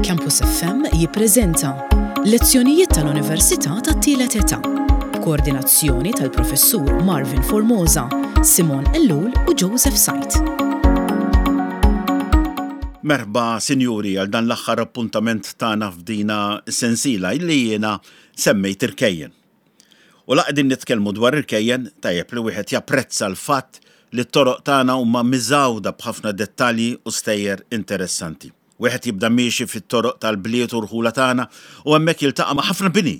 Campus FM jippreżenta Lezzjonijiet tal-Università tat-Tielet Età b'koordinazzjoni tal-Professur Marvin Formosa, Simon Ellul u Joseph Said. Merħba sinjuri għal dan l-aħħar appuntament tagħna f'dina s-sensiela illi jiena semmejt irkejjen. U la qegħdin nitkellmu dwar irkejjen, tajjeb li wieħed japprezza l-fatt li t-toroq tagħna huma miżgħuda b'ħafna dettalji u stejjer interessanti. Wieħed jibda miexi fit-toroq tal-bliet u rħula tagħna u hemmhekk jiltaqa' ma' ħafna bini,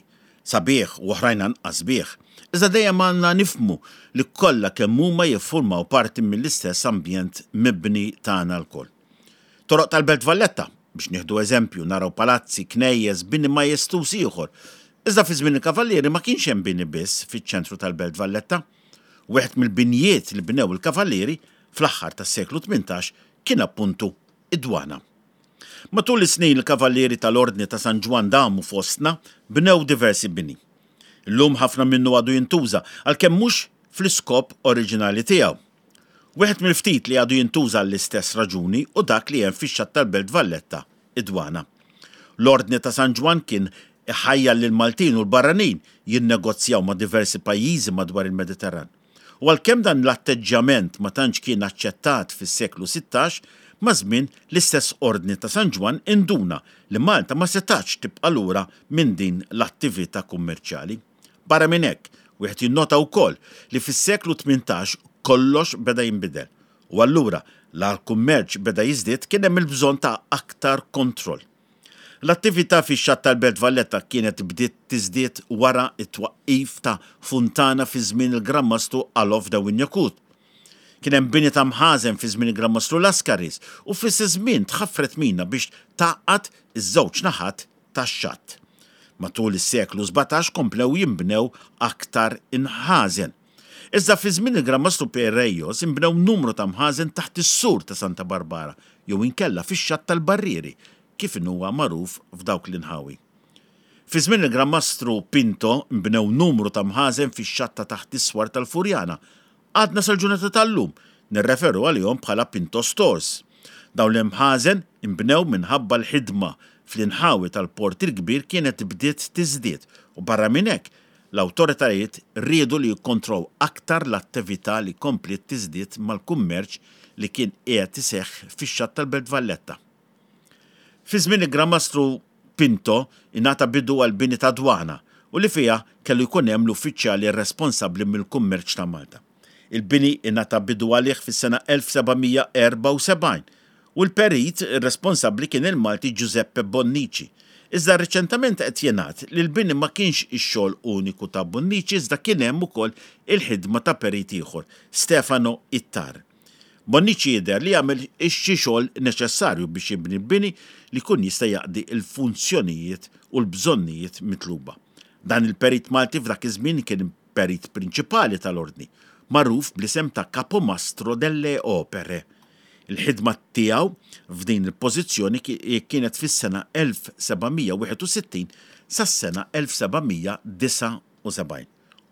sabiħ u oħrajn anqas sbieħ. Iżda dejjem għandna nifhmu li kollha kemm huma jiffurmaw parti mill-istess ambjent mibni tagħna lkoll. Toroq tal-Belt Valletta, biex nieħdu eżempju, naraw palazzi, knejjes, bini majestuż ieħor. Iżda fi żmien il-Kavallieri ma kienx hemm bini biss fiċ-ċentru tal-Belt Valletta. Wieħed mill-binjiet li bnew il-Kavallieri fl-aħħar tas-seklu 18 kien appuntu id-Dwana. Matul is-snin il-Kavallieri tal-Ordni ta' San Ġwann damu fostna, bnew diversi bini. Illum ħafna minnu għadu jintuża, għalkemm mhux fl-iskop oriġinali tiegħu. Wieħed mill-ftit li għadu jintuża għall-istess raġuni hu dak li hemm fix-xatt tal-Belt Valletta, id-Dwana. L-Ordni ta' San Ġwann kien iħajjar lill-Maltin u l-barranin jinnegozjaw ma' diversi pajjiżi madwar il-Mediterran. U għalkemm dan l-atteġġjament ma tantx kien aċċettat fis-seklu 16, maż-żmien l-istess Ordni ta' San Ġwann induna li Malta ma setgħatx tibqa' lura minn din l-attività kummerċjali. Barra minn hekk, wieħed jinnota wkoll li fis-seklu 18 kollox beda jinbidel u allura la l-kummerċ beda jiżdied kien hemm il-bżonn ta' aktar kontroll. L-attività fix-xatt tal-Belt Valletta kienet bdiet tiżdied wara t-twaqqif ta' funtana fi żmien il-Gran Mastru Alof de Wignacourt. Kien hemm bini ta' mħażen fi żmien il-Gran Mastru Lascaris u fl-istess żmien tħaffret mina biex tgħaqqad iż-żewġ naħat tax-xatt. Matul is-seklu 17 komplew jinbnew aktar inħażen. Iżda fi żmien il-Gran Mastru Pierrejos inbnew numru ta' mħażen taħt is-sur ta' Santa Barbara jew inkella fix-xatt tal-Barrieri kif inhuwa magħruf f'dawk l-inħawi. Fi żmien il-Gran Mastru Pinto nbnew numru ta' mħażen fix-xatt ta' taħt is-swar tal-Furjana Għadna sal-ġurnata tal-lum nirreferu għalihom bħala Pinto Stores. Dawn l-imħażen inbnew minħabba l-ħidma fl-inħawi tal-Port il-Kbir kienet bdiet tiżdied u barra minn hekk l-awtoritajiet riedu li jikkontrow aktar l-attività li kompliet tiżdied mal-kummerċ li kien qiegħed iseħħ fix-xatt tal-Belt Valletta. Fi żmien il-Gran Mastru Pinto ingħata bidu għall-bini ta' dwana u li fiha kellu jkun hemm l-uffiċjali responsabbli mill-kummerċ ta' Malta. Il-bini ingħata bidu għalih fis-sena 1774 u l-perit responsabbli kien il-Malti Giuseppe Bonnici. Iżda riċentament qed jingħad li l-bini ma kienx ix-xogħol uniku ta' Bonnici iżda kien hemm ukoll il-ħidma ta' perit ieħor, Stefano Ittar. Bonnici jidher li għamel xi xogħol neċessarju biex jibni bini li jkun jista' jaqdi l-funzjonijiet u l-bżonnijiet mitluba. Dan il-perit Malti f'dak iż-żmien kien perit prinċipali tal-Ordni, magħruf bl-isem ta' Capomastro delle Opere. Il-ħidma tiegħu f'din il-pożizzjoni kienet fis-sena 1761 sas-sena 1779.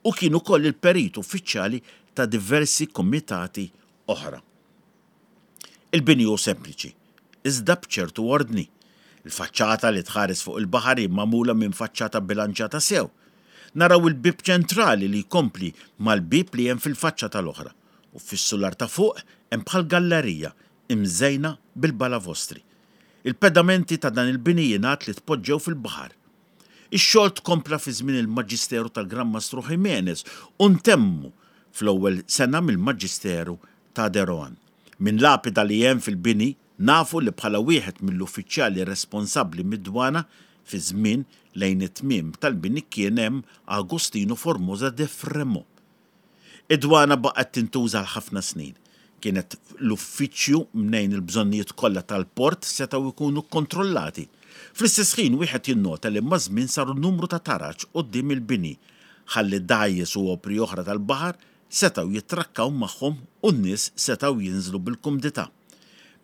u kien ukoll il-perit uffiċjali ta' diversi kumitati oħra. Il-bini hu sempliċi, iżda b'ċertu ordni. Il-faċċata li tħares fuq il-baħar hi magħmula minn faċċata bilanċjata sew. Naraw il-bieb ċentrali li jkompli mal-bieb li hemm fil-faċċata l-oħra, u fis-sular ta' fuq hemm bħal gallerija imżejna bil-balavostri. Il-pedamenti ta' dan il-bini jingħad li tpoġġew fil-baħar. Ix-xogħol tkompla fi żmien il-maġisteru tal-Gran Mastru Jiménez u ntemmu fl-ewwel sena mill-maġisteru ta' De Rohan. Minn lapida li hemm fil-bini nafu li bħala wieħed mill-uffiċjali responsabbli mid-dwana fi żmien lejn it-tmiem tal-bini kien hemm Agostino Formosa de Fremaux. Id-dwana baqgħet tintuża għal ħafna snin. Kienet l-uffiċċju mnejn il-bżonnijiet kollha tal-port setgħu jkunu kkontrollati. Fl-istess ħin wieħed jinnota li maż-żmien saru numru ta' taraġ quddiem il-bini ħalli dgħajjes u opri oħra tal-baħar setgħu jittrakkaw magħhom u n-nies setgħu jinżlu bil-kumdità.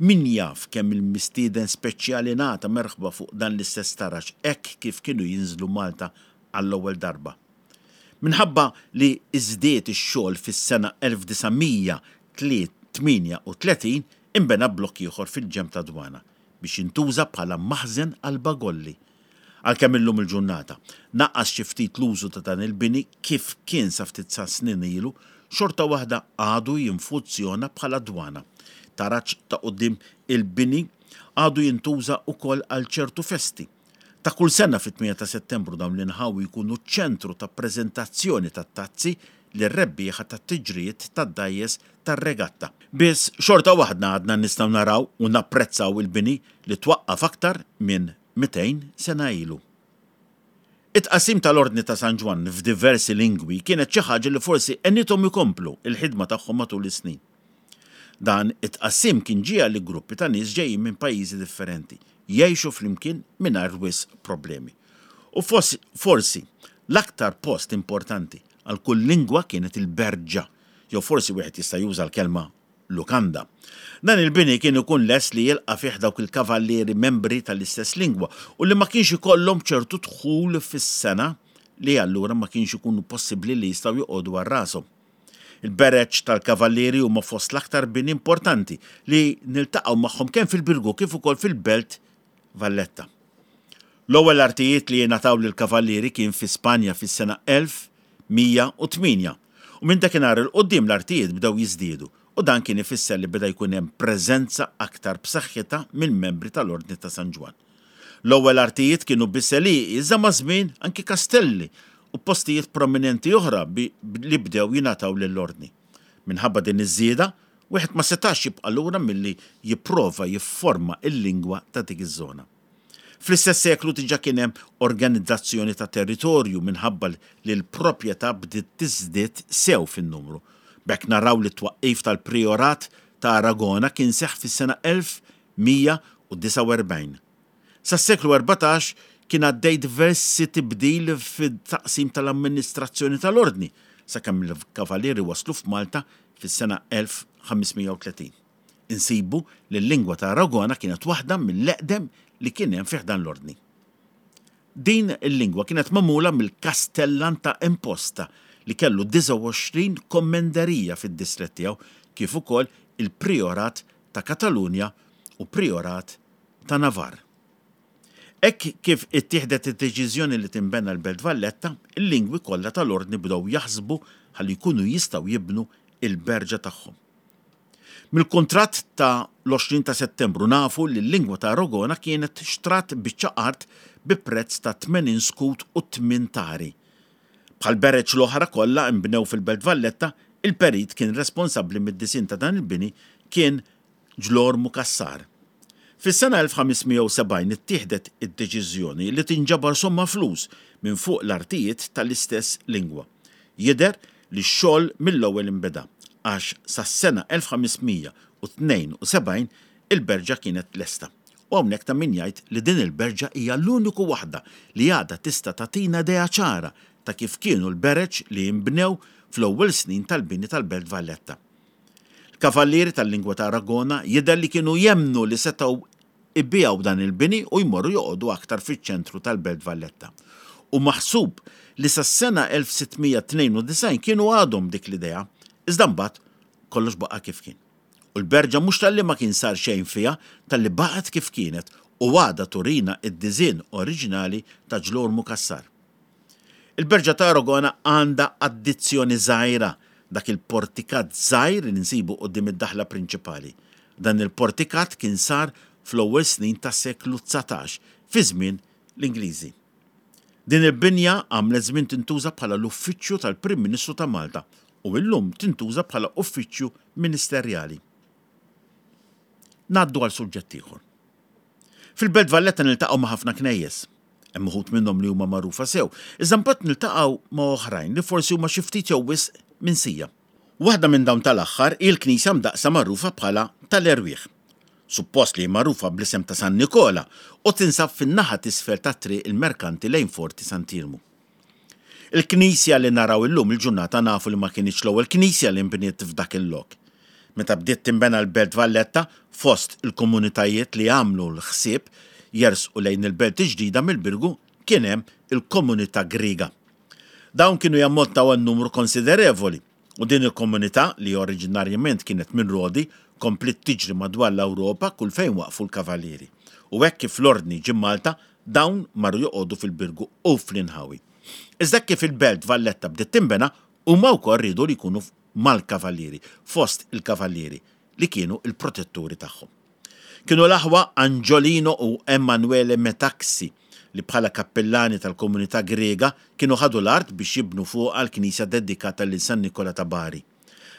Min jaf kemm il-mistieden speċjali ngħata merħba fuq dan l-istess taraġ hekk kif kienu jinżlu Malta għall-ewwel darba. Minħabba li żdied ix-xogħol fis-sena 1938 inbena blokk ieħor fil-ġenb tad-dwana. biex jintuża bħala maħżen għall-bagolli. Għalkemm illum il-ġurnata naqas xi ftit l-użu ta' dan il-bini kif kien sa ftit sa snin ilu, xorta waħda għadu jinfuzzjona bħala dwana. Taraġ ta' quddiem il-bini għadu jintuża ukoll għal ċertu festi. Ta' kull sena fit-8 ta' Settembru dawn l-inħawi jkunu ċ-ċentru ta' preżentazzjoni tat-tazzi lir-rebbieħa tat-tiġrijiet tad-dgħajjes tar-regatta. Biss xorta waħdna għadna nistgħu naraw u napprezzaw il-bini li twaqqaf aktar minn 200 sena ilu. It-tqassim tal-Ordni ta' San Ġwann f'diversi lingwi kienet xi ħaġa li forsi għenithom ikomplu l-ħidma tagħhom matul is-snin. Dan it-tqassim kien ġiegħel li gruppi ta' nies ġejjin minn pajjiżi differenti jgħixu flimkien mingħajr wisq problemi. U forsi l-aktar post importanti għal kull lingwa kienet il-berġa, jew forsi wieħed jista' juża l-kelma lukanda. Dan il-bini kien ikun lest li jilqa' fih dawk il-kavallieri membri tal-istess lingwa u li ma kienx ikollhom ċertu dħul fis-sena li allura ma kienx ikunu possibbli li jistgħu joqogħdu għal rashom. Il-bereġ tal-kavallieri huma fost l-aktar bini importanti li niltaqgħu magħhom kemm fil-Birgu kif ukoll fil-Belt Valletta. L-ewwel artijiet li jingħataw lill-kavallieri kien fi Spanja fis-sena 1108 u minn dakinhar 'il quddiem l-artijiet bdew jiżdiedu u dan kien ifisser li beda jkun hemm preżenza aktar b'saħħitha mill-membri tal-Ordni ta' San Ġwann. L-ewwel artijiet kienu biss għelieqi iżda maż-żmien anki kastelli u postijiet prominenti oħra li bdew jingħataw lill-Ordni. Minħabba din iż-żieda, wieħed ma setax jibqa' lura milli jipprova jifforma l-lingwa ta' dik iż-żona. Fl-istess seklu diġà kien hemm organizzazzjoni ta' territorju minħabba li l-proprjetà bdiet tiżdied sew fin-numru. B'hekk naraw li t-twaqqif tal-Prijorat ta' Aragona kien seħħ fis-sena 1149. Sas-seklu 14 kien għaddej diversi tibdil fit-taqsim tal-amministrazzjoni tal-Ordni sakemm il-Kavallieri waslu f'Malta fis-sena 1530. Insibu li l-lingwa ta' Aragona kienet waħda mill-eqdem li kien hemm fi ħdan l-Ordni. Din il-lingwa kienet magħmula mill-Kastellan ta' Imposta li kellu 29 kommenderija fid-distrett tiegħu kif ukoll il-Prijorat ta' Katalunja u Prijorat ta' Navarre. Hekk kif ittieħdet id-deċiżjoni li tinbena l-Belt Valletta, il-lingwi kollha tal-Ordni bdew jaħsbu ħalli jkunu jistgħu jibnu l-berġa tagħhom. Mill-kuntratt ta' l-20 ta' Settembru nafu li l-lingwa ta' Aragona kienet xtrat biċċa art bi prezz ta' 80 skut u tmien tari. Bħall-bereġ l-oħra kollha nbnew fil-Belt Valletta, il-perit kien responsabbli mid-disinn ta' dan il-bini kien Ġlormu Cassar. Fis-sena 1570 ittieħdet id-deċiżjoni li tinġabar somma flus minn fuq l-artijiet tal-istess lingwa. Jidher li x-xogħol mill-ewwel inbeda, għax sas-sena 1572 il-berġa kienet lesta. U hawnhekk ta' min jgħid li din il-berġa hija l-uniku waħda li għadha tista' tagħtina idea ċara ta' kif kienu l-bereġ li inbnew fl-ewwel snin tal-bini tal-Belt Valletta. L-kavallieri tal-lingwa ta' Aragona jidher li kienu jemmnu li setgħu jbigħu dan il-bini u jmorru joqogħdu aktar fiċ-ċentru tal-Belt Valletta. Hu maħsub li sas-sena 1692 kienu għadhom b'dik l-idea, iżda mbagħad kollox baqa' kif kien. U l-berġa mhux talli ma kien sar xejn fiha, talli baqgħet kif kienet u għadha turina d-diżinn oriġinali ta' Ġlormu Cassar. Il-Berġa ta' Aragona għandha addizzjoni żgħira, dak il-portikat żgħir li nsibu quddiem id-daħla prinċipali. Dan il-portikat kien sar fl-ewwel snin tas-seklu 19, fi żmien l-Ingliżi. Din il-binja għamlet żmien tintuża bħala l-uffiċċju tal-Prim Ministru ta' Malta u illum tintuża bħala uffiċċju ministerjali. Ngħaddu għal suġġett ieħor. Fil-Belt Valletta niltaqgħu ma' ħafna knejjes. Hemm uħud minnhom li huma magħrufa sew, iżda mbagħad niltaqgħu ma' oħrajn li forsi huma xi ftit jew wisq minsija. Waħda minn dawn tal-aħħar hi l-knisja mdaqqsa magħrufa bħala tal-Erwieħ. Suppost li hi magħrufa bl-isem ta' San Nikola u tinsab fin-naħa t'isfel ta' Triq il-Merkanti lejn Forti Sant'Iermu. Il-knisja li naraw illum il-ġurnata nafu li ma kinitx l-ewwel knisja li nbniet f'dak il-lok. Meta bdiet tinbena l-Belt Valletta, fost il-komunitajiet li għamlu l-ħsieb jersqu lejn il-belt il-ġdida mill-Birgu kien hemm il-komunità Griega. Dawn kienu jammontaw għal numru konsiderevoli u din il-komunità, li oriġinarjament kienet minn Rodi, kompliet tiġri madwar l-Ewropa kull fejn waqfu l-Kavallieri. U hekk kif l-Ordni ġie Malta, dawn marru joqogħdu fil-Birgu u fl-inħawi. Iżda hekk kif il-Belt Valletta bdiet tinbena, huma wkoll riedu li jkunu mal-Kavallieri, fost il-Kavallieri, li kienu l-protetturi tagħhom. Kienu l-aħwa Angiolino u Emanuele Metaxi li bħala kappillani tal-komunità Griega kienu ħadu l-art biex jibnu fuqha l-knisja dedikata lil San Nikola ta' Bari.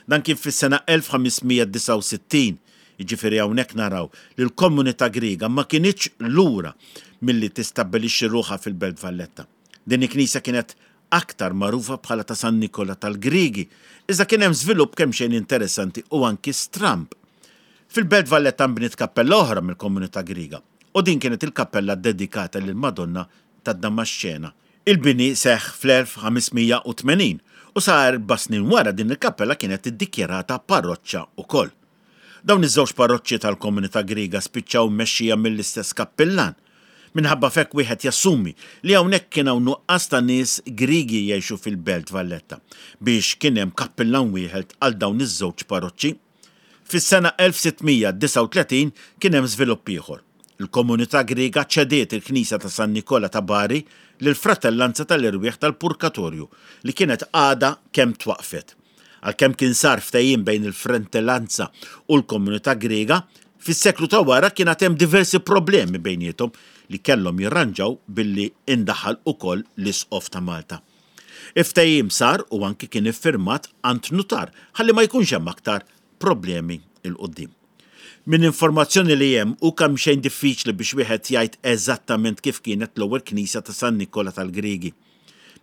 Dan kien fis-sena 1569, jiġifieri hawnhekk naraw li l-komunità Griega ma kinitx lura milli tistabbilixxi ruħha fil-Belt Valletta. Din il-knisja kienet aktar magħrufa bħala ta' San Nikola tal-Griegi, iżda kien hemm żvilupp kemxejn interessanti u anki stramb. Fil-Belt Valletta nbniet kappella oħra mill-komunità Griega, u din kienet il-kappella ddedikata lill-Madonna tad-Damaxxena. Il-bini seħħ fl-1580 u sa erba' snin wara din il-kappella kienet iddikjarata parroċċa wkoll. Dawn iż-żewġ parroċċi tal-komunità Griega spiċċaw mmexxija mill-istess kappillan. Minħabba f'hekk wieħed jassumi li hawnhekk kien hawn nuqqas ta' nies Griegi jgħixu fil-Belt Valletta biex kien hemm kappillan wieħed għal dawn iż-żewġ parroċċi. Fis-sena 1639 kien hemm żvilupp ieħor. Il-komunità Griega ċediet il-knisja ta' San Nikola ta' Bari lill-Fratellanza tal-Erwieħ tal-Purkatorju li kienet għadha kemm twaqqfet. Għalkemm kien sar ftehim bejn il-Fratellanza u l-komunità Griega, fis-seklu ta' wara kien għad hemm diversi problemi bejniethom li kellhom jirranġaw billi indaħal ukoll l-Isqof ta' Malta. Il-ftehim sar u anki kien iffirmat għand nutar ħalli ma jkunx hemm aktar problemi 'l quddiem. Minn informazzjoni li hemm hu kemxejn diffiċli biex wieħed jgħid eżattament kif kienet l-ewwel knisja ta' San Nikola tal-Griegi.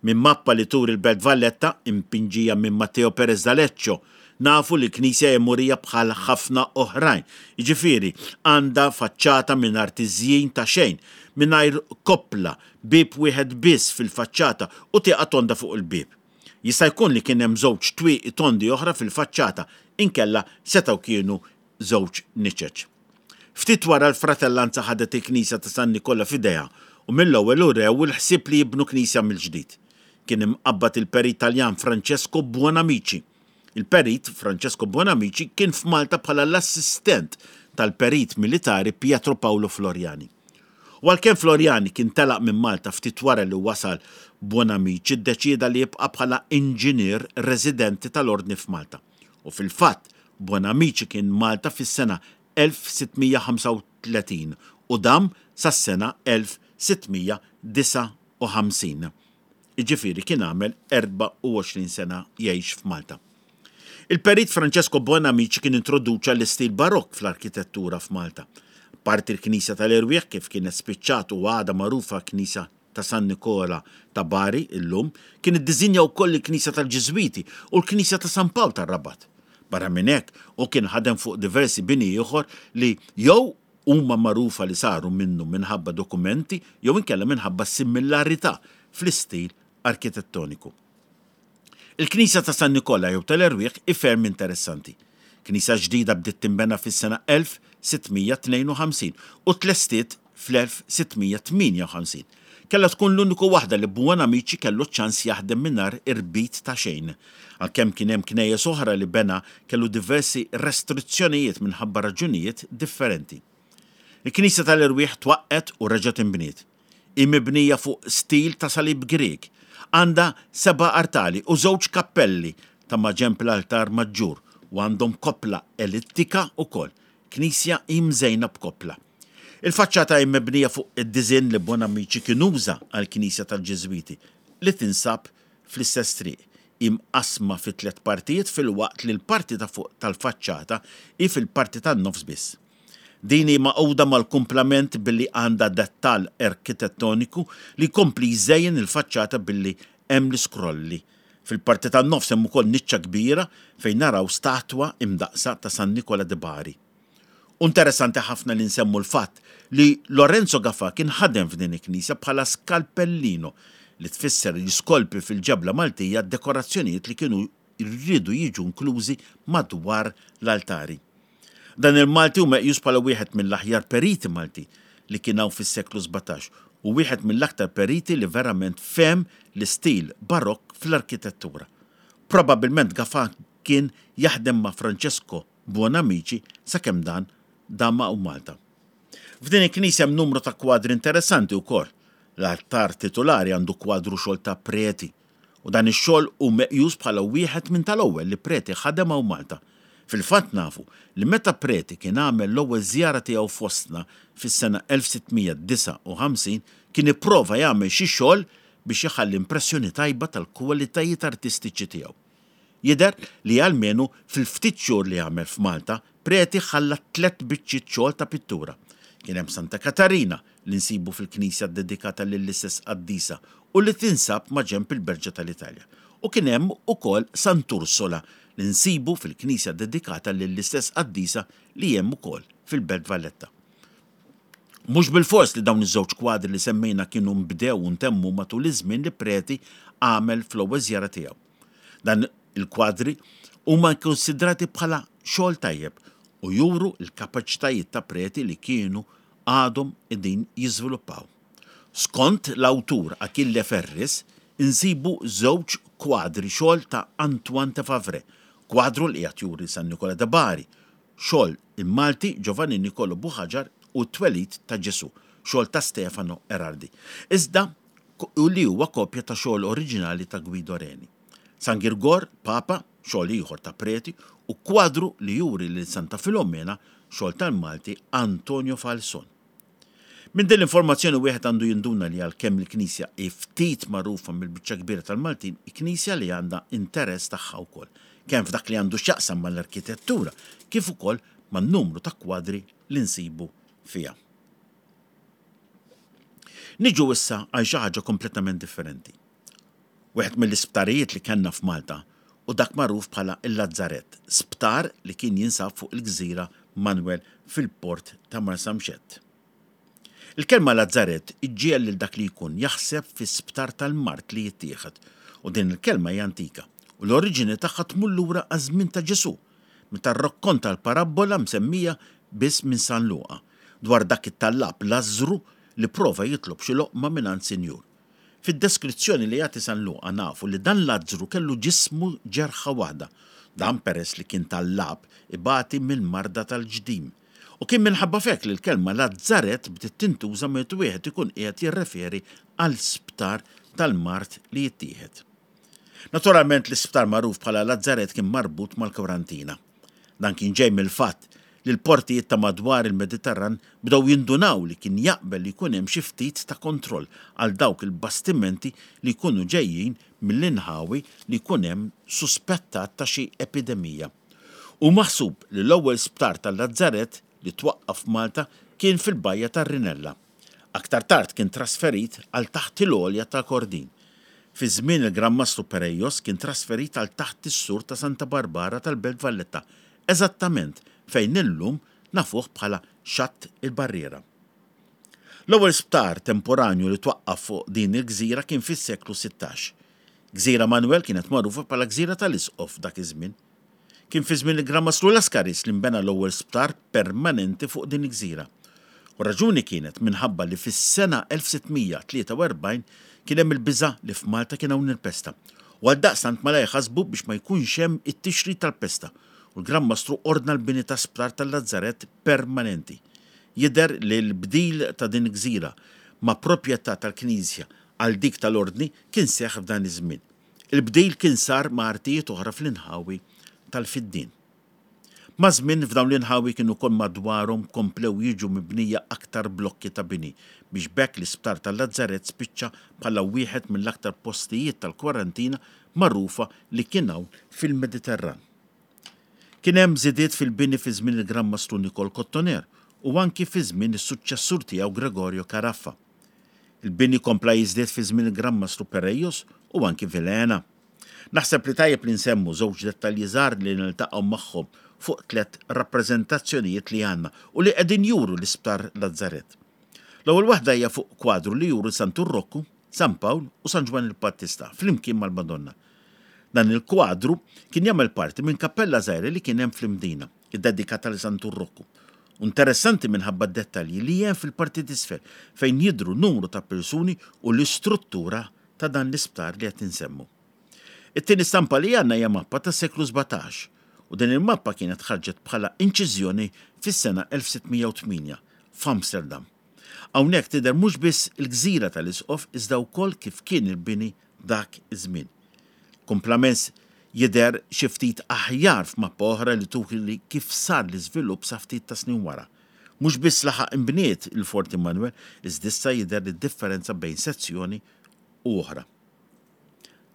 Minn mappa li turi l-Belt Valletta, impinġija minn Matteo Perez d'Aleccio, nafu li l-knisja hija murija bħal ħafna oħrajn, jiġifieri għandha faċċata mingħajr tiżjin ta' xejn, mingħajr koppla, Bieb wieħed biss fil-faċċata u tieqa tonda fuq il-bieb. Jista' jkun li kien hemm żewġ twieqi tondi oħra fil-faċċata, inkella setgħu kienu żewġ niċeċ. Ftit wara l-fratellanza ħadet il-knisja ta' San Nikola f'idejha u mill-ewwel urew il-ħsieb li jibnu knisja mill-ġdid. Kien imqabbad il-perit Taljan Francesco Buonamici. Il-perit Francesco Buonamici kien f'Malta bħala l-assistent tal-perit militari Pietro Paolo Floriani. U għalkemm Floriani kien telaq minn Malta ftit wara li wasal Buonamici ddeċieda li jibqa' bħala inġinier residenti tal-Ordni f'Malta. U fil-fatt, Buonamici kien Malta fis-sena 1635 u dam sas-sena 1659. Jiġifieri kien għamel 24 sena jgħix f'Malta. Il-Perit Francesco Buonamici kien introduċa l-istil Barokk fl-arkitettura f'Malta. Apparti l-Knisja tal-Erwieħ kif kienet spiċċat u għadha magħrufa Knisja ta' San Nikola ta' Bari illum, kien iddiżinja wkoll il-Knisja tal-Ġiżwiti u l-Knisja ta' San Pawl tar-Rabat. Barra minn hekk, hu kien ħadem fuq diversi bini ieħor li jew huma magħrufa li saru minnu minħabba dokumenti jew inkella minħabba similarità fl-istil arkitettoniku. Il-Knisja ta' San Nikola jew tal-Erwieħ hi ferm interessanti. Knisja ġdida bdiet tinbena fis-sena 1652 u tlestiet fl-1658. Kellha tkun l-uniku waħda li Buonamici kellu ċ-ċans jaħdem mingħajr irbit ta' xejn. Għalkemm kien hemm knejjes oħra li bena kellu diversi restrizzjonijiet minħabba raġunijiet differenti. Il-Knisja tal-Erwieħ twaqqgħet u reġgħet inbniet. Hi mibnija fuq stil ta' salib Grieg. Għandha seba' artali u żewġ kappelli ta' maġenb l-altar maġġur u għandhom koppla elittika wkoll. Knisja hi mżejna b'koppla. Il-faċċata hi mibnija fuq id-diżinn li Bonamici kien uża għall-knisja tal-Ġiżwiti li tinsab fl-istess triq. Hi mqassma fi tlett partijiet filwaqt li l-parti ta' fuq tal-faċċata hi fil-parti tan-nofs biss. Din hi magħquda mal-kumplament billi għandha dettall arkitettoniku li jkompli jżejjen il-faċċata billi hemm l-iskrolli. Fil-parti tan-nofs hemm ukoll niċċa kbira fejn naraw statwa imdaqqsa ta' San Nikola di Bari. U interessanti ħafna li nsemmu l-fatt li Lorenzo Gafà kien ħadem f'din il-knisja bħala skalpellino, li tfisser li jiskolpi fil-ġebla Maltija d-dekorazzjonijiet li kienu riedu jiġu inklużi madwar l-altari. Dan il-Malti hu meqjus bħala wieħed mill-aħjar periti Maltin li kien hawn fis-seklu 17 u wieħed mill-aktar periti li verament fehem l-istil Barokk fl-arkitettura. Probabbilment Gafà kien jaħdem ma' Francesco Buonamici sakemm dan dam hawn Malta. F'din il-knisja hemm numru ta' kwadri interessanti wkoll. L-altar titulari għandu kwadru xogħol ta' Preti u dan ix-xogħol hu meqjus bħala wieħed minn tal-ewwel li Preti ħadem hawn Malta. Fil-fatt nafu li meta Preti kien għamel l-ewwel żjara tiegħu fostna fis-sena 1659 kien ipprova jagħmel xi xogħol biex iħalli impressjoni tajba tal-kwalitajiet artistiċi tiegħu. Jidher li almenu fil-ftit xhur li għamel f'Malta, Preti ħalla tlett biċċiet xogħol ta' pittura. Kien hemm Santa Katarina, li nsibu fil-knisja ddedikata lill-istess qaddisa u li tinsab maġenb il-Berġa tal-Italja. U kien hemm ukoll Sant'Ursola, li nsibu fil-knisja ddedikata lill-istess qaddisa li hemm ukoll fil-Belt Valletta. Mhux bilfors li dawn iż-żewġ kwadri li semmejna kienu nbdew u ntemmu matul iż-żmien li Preti għamel fl-ewwel żjara tiegħu. Dan il-kwadri huma kkunsidrati bħala xogħol tajjeb u juru l-kapaċitajiet ta' Preti li kienu għadhom qegħdin jiżviluppaw. Skont l-awtur Achille Ferris, insibu żewġ kwadri xogħol ta' Antoine de Favre, kwadru li qiegħed juri San Nikola de Bari, xogħol il-Malti Giovanni Nicolo Buhagiar u t-Twelid ta' Ġesù, xogħol ta' Stefano Erardi. Iżda li huwa kopja ta' xogħol oriġinali ta' Guido Reni. San Girgor, Papa, xogħol ieħor ta' Preti, u kwadru li juri lil Santa Filomena, xogħol tal-Malti Antonio Falson. Minn din l-informazzjoni wieħed għandu jinduna li għalkemm il-knisja hi ftit magħrufa mill-biċċa kbira tal-Maltin, hi knisja li għandha interess tagħha wkoll, kemm f'dak li għandu x'jaqsam mal-arkitettura kif ukoll man-numru ta' kwadri li nsibu fiha. Niġu issa għal xi ħaġa kompletament differenti. Wieħed mill-isptarijiet li kellna f'Malta hu dak magħruf bħala l-Lazzarett, sptar li kien jinsab fuq il-gżira Manwel fil-port ta' Marsamxett. Il-kelma lazzarett iġġiegħel lil dak li jkun jaħseb fi sptar tal-mard li jittieħed u din il-kelma hija antika u l-oriġini tagħha tmur lura għaż-żmien ta' Ġesù meta rrakkonta l-parabbola msemmija biss minn San Luqa dwar dak it-tallab Lażżru li prova jitlob xi loqma mingħand sinjur. Fid-deskrizzjoni li jagħti San Luqa nafu li dan Lazzru kellu ġismu ġerħa waħda, dan peress li kien tallab ibati mill-marda tal-ġdim. U kien minħabba f'hekk li l-kelma Lazzarett bdiet tintuża meta wieħed ikun qiegħed jirreferi għal sptar tal-mard li jittieħed. Naturalment l-isptar magħruf bħala Lazzarett kien marbut mal-kwarantina. Dan kien ġej mill-fatt li l-portijiet ta' madwar il-Mediterran bdew jindunaw li kien jaqbel li jkun hemm xi ftit ta' kontroll għal dawk il-bastimenti li jkunu ġejjin mill-inħawi li jkun hemm suspettat ta' xi epidemija. Hu maħsub li l-ewwel sptar tal-Lazzarett li twaqqaf f'Malta kien fil-bajja tar-Rinella. Aktar tard kien trasferit għal taħt il-għolja ta' Kordin. Fi żmien il-Gran Mastru Perejos kien trasferit għal taħt is-sur ta' Santa Barbara tal-Belt Valletta, eżattament fejn illum nafuh bħala Xatt il-Barriera. L-ewwel sptar temporanju li twaqqaf fuq din il-gżira kien fis-seklu 16. Gżira Manwel kienet magħrufa bħala Gżira tal-Isqof dak iż-żmien. Kien fi żmien il-Gran Mastru Lascaris li nbena l-ewwel sptar permanenti fuq din il-gżira. U r-raġuni kienet minħabba li fis-sena 1643 kien hemm il-biża' li f'Malta kien hawn il-pesta. U għaldaqstant malajr ħasbu biex ma jkunx hemm it-tixrid tal-pesta u l-Gran Mastru ordna l-bini ta' sptar tal-Lazzarett permanenti. Jidher li l-bdil ta' din il-gżira ma' proprjetà tal-Knisja għal dik tal-Ordni kien seħħ f'dan iż-żmien. Il-bdil kien sar ma' artijiet oħra fl-inħawi tal-Fiddien. Maż-żmien f'dawn l-inħawi kienu ukoll madwarhom komplew jiġu mibnija aktar blokki ta' bini biex b'hekk l-isptar tal-Lazzarett spiċċa bħala wieħed mill-aktar postijiet tal-kwarantina magħrufa li kien hawn fil-Mediterran. Kien hemm żidiet fil-bini fi żmien il-Gran Mastru Nikol Kottoner u anki fi żmien is-suċċessur tiegħu Gregorio Caraffa. Il-bini kompla jiżdied fi żmien il-Gran Mastru Perejos u anki Vilhena. Naħseb li tajjeb li nsemmu żewġ dettalji żgħar li niltaqgħu magħhom fuq tlett rappreżentazzjonijiet li għandna u li qegħdin juru l-Isptar Lazzarett. L-ewwel waħda hija fuq kwadru li juri Santu Rokku, San Pawl u San Ġwann il-Battista flimkien mal-Madonna. Dan il-kwadru kien jagħmel parti minn kappella żgħira li kien hemm fl-Imdina. iddedikata lil Santu Rokku. U interessanti minħabba d-dettalji li hemm fil-parti t'isfel fejn jidhru numru ta' persuni u l-istruttura ta' dan l-isptar li qed insemmu. It-tieni stampa li għandna hija mappa tas-seklu 17 u din il-mappa kienet ħarġet bħala inċiżjoni fis-sena 1608. f'Amsterdam. Hawnhekk tidher mhux biss il-gżira tal-Isqof iżda wkoll kif kien il-bini dak iż-żmien. Kumplament jidher xi ftit aħjar f'mappa oħra li turi kif sar l-iżvilupp sa ftit ta' snin wara. Mhux biss laħaq inbniet il-Forti Manoel iżda issa jidher id-differenza bejn sezzjoni u oħra.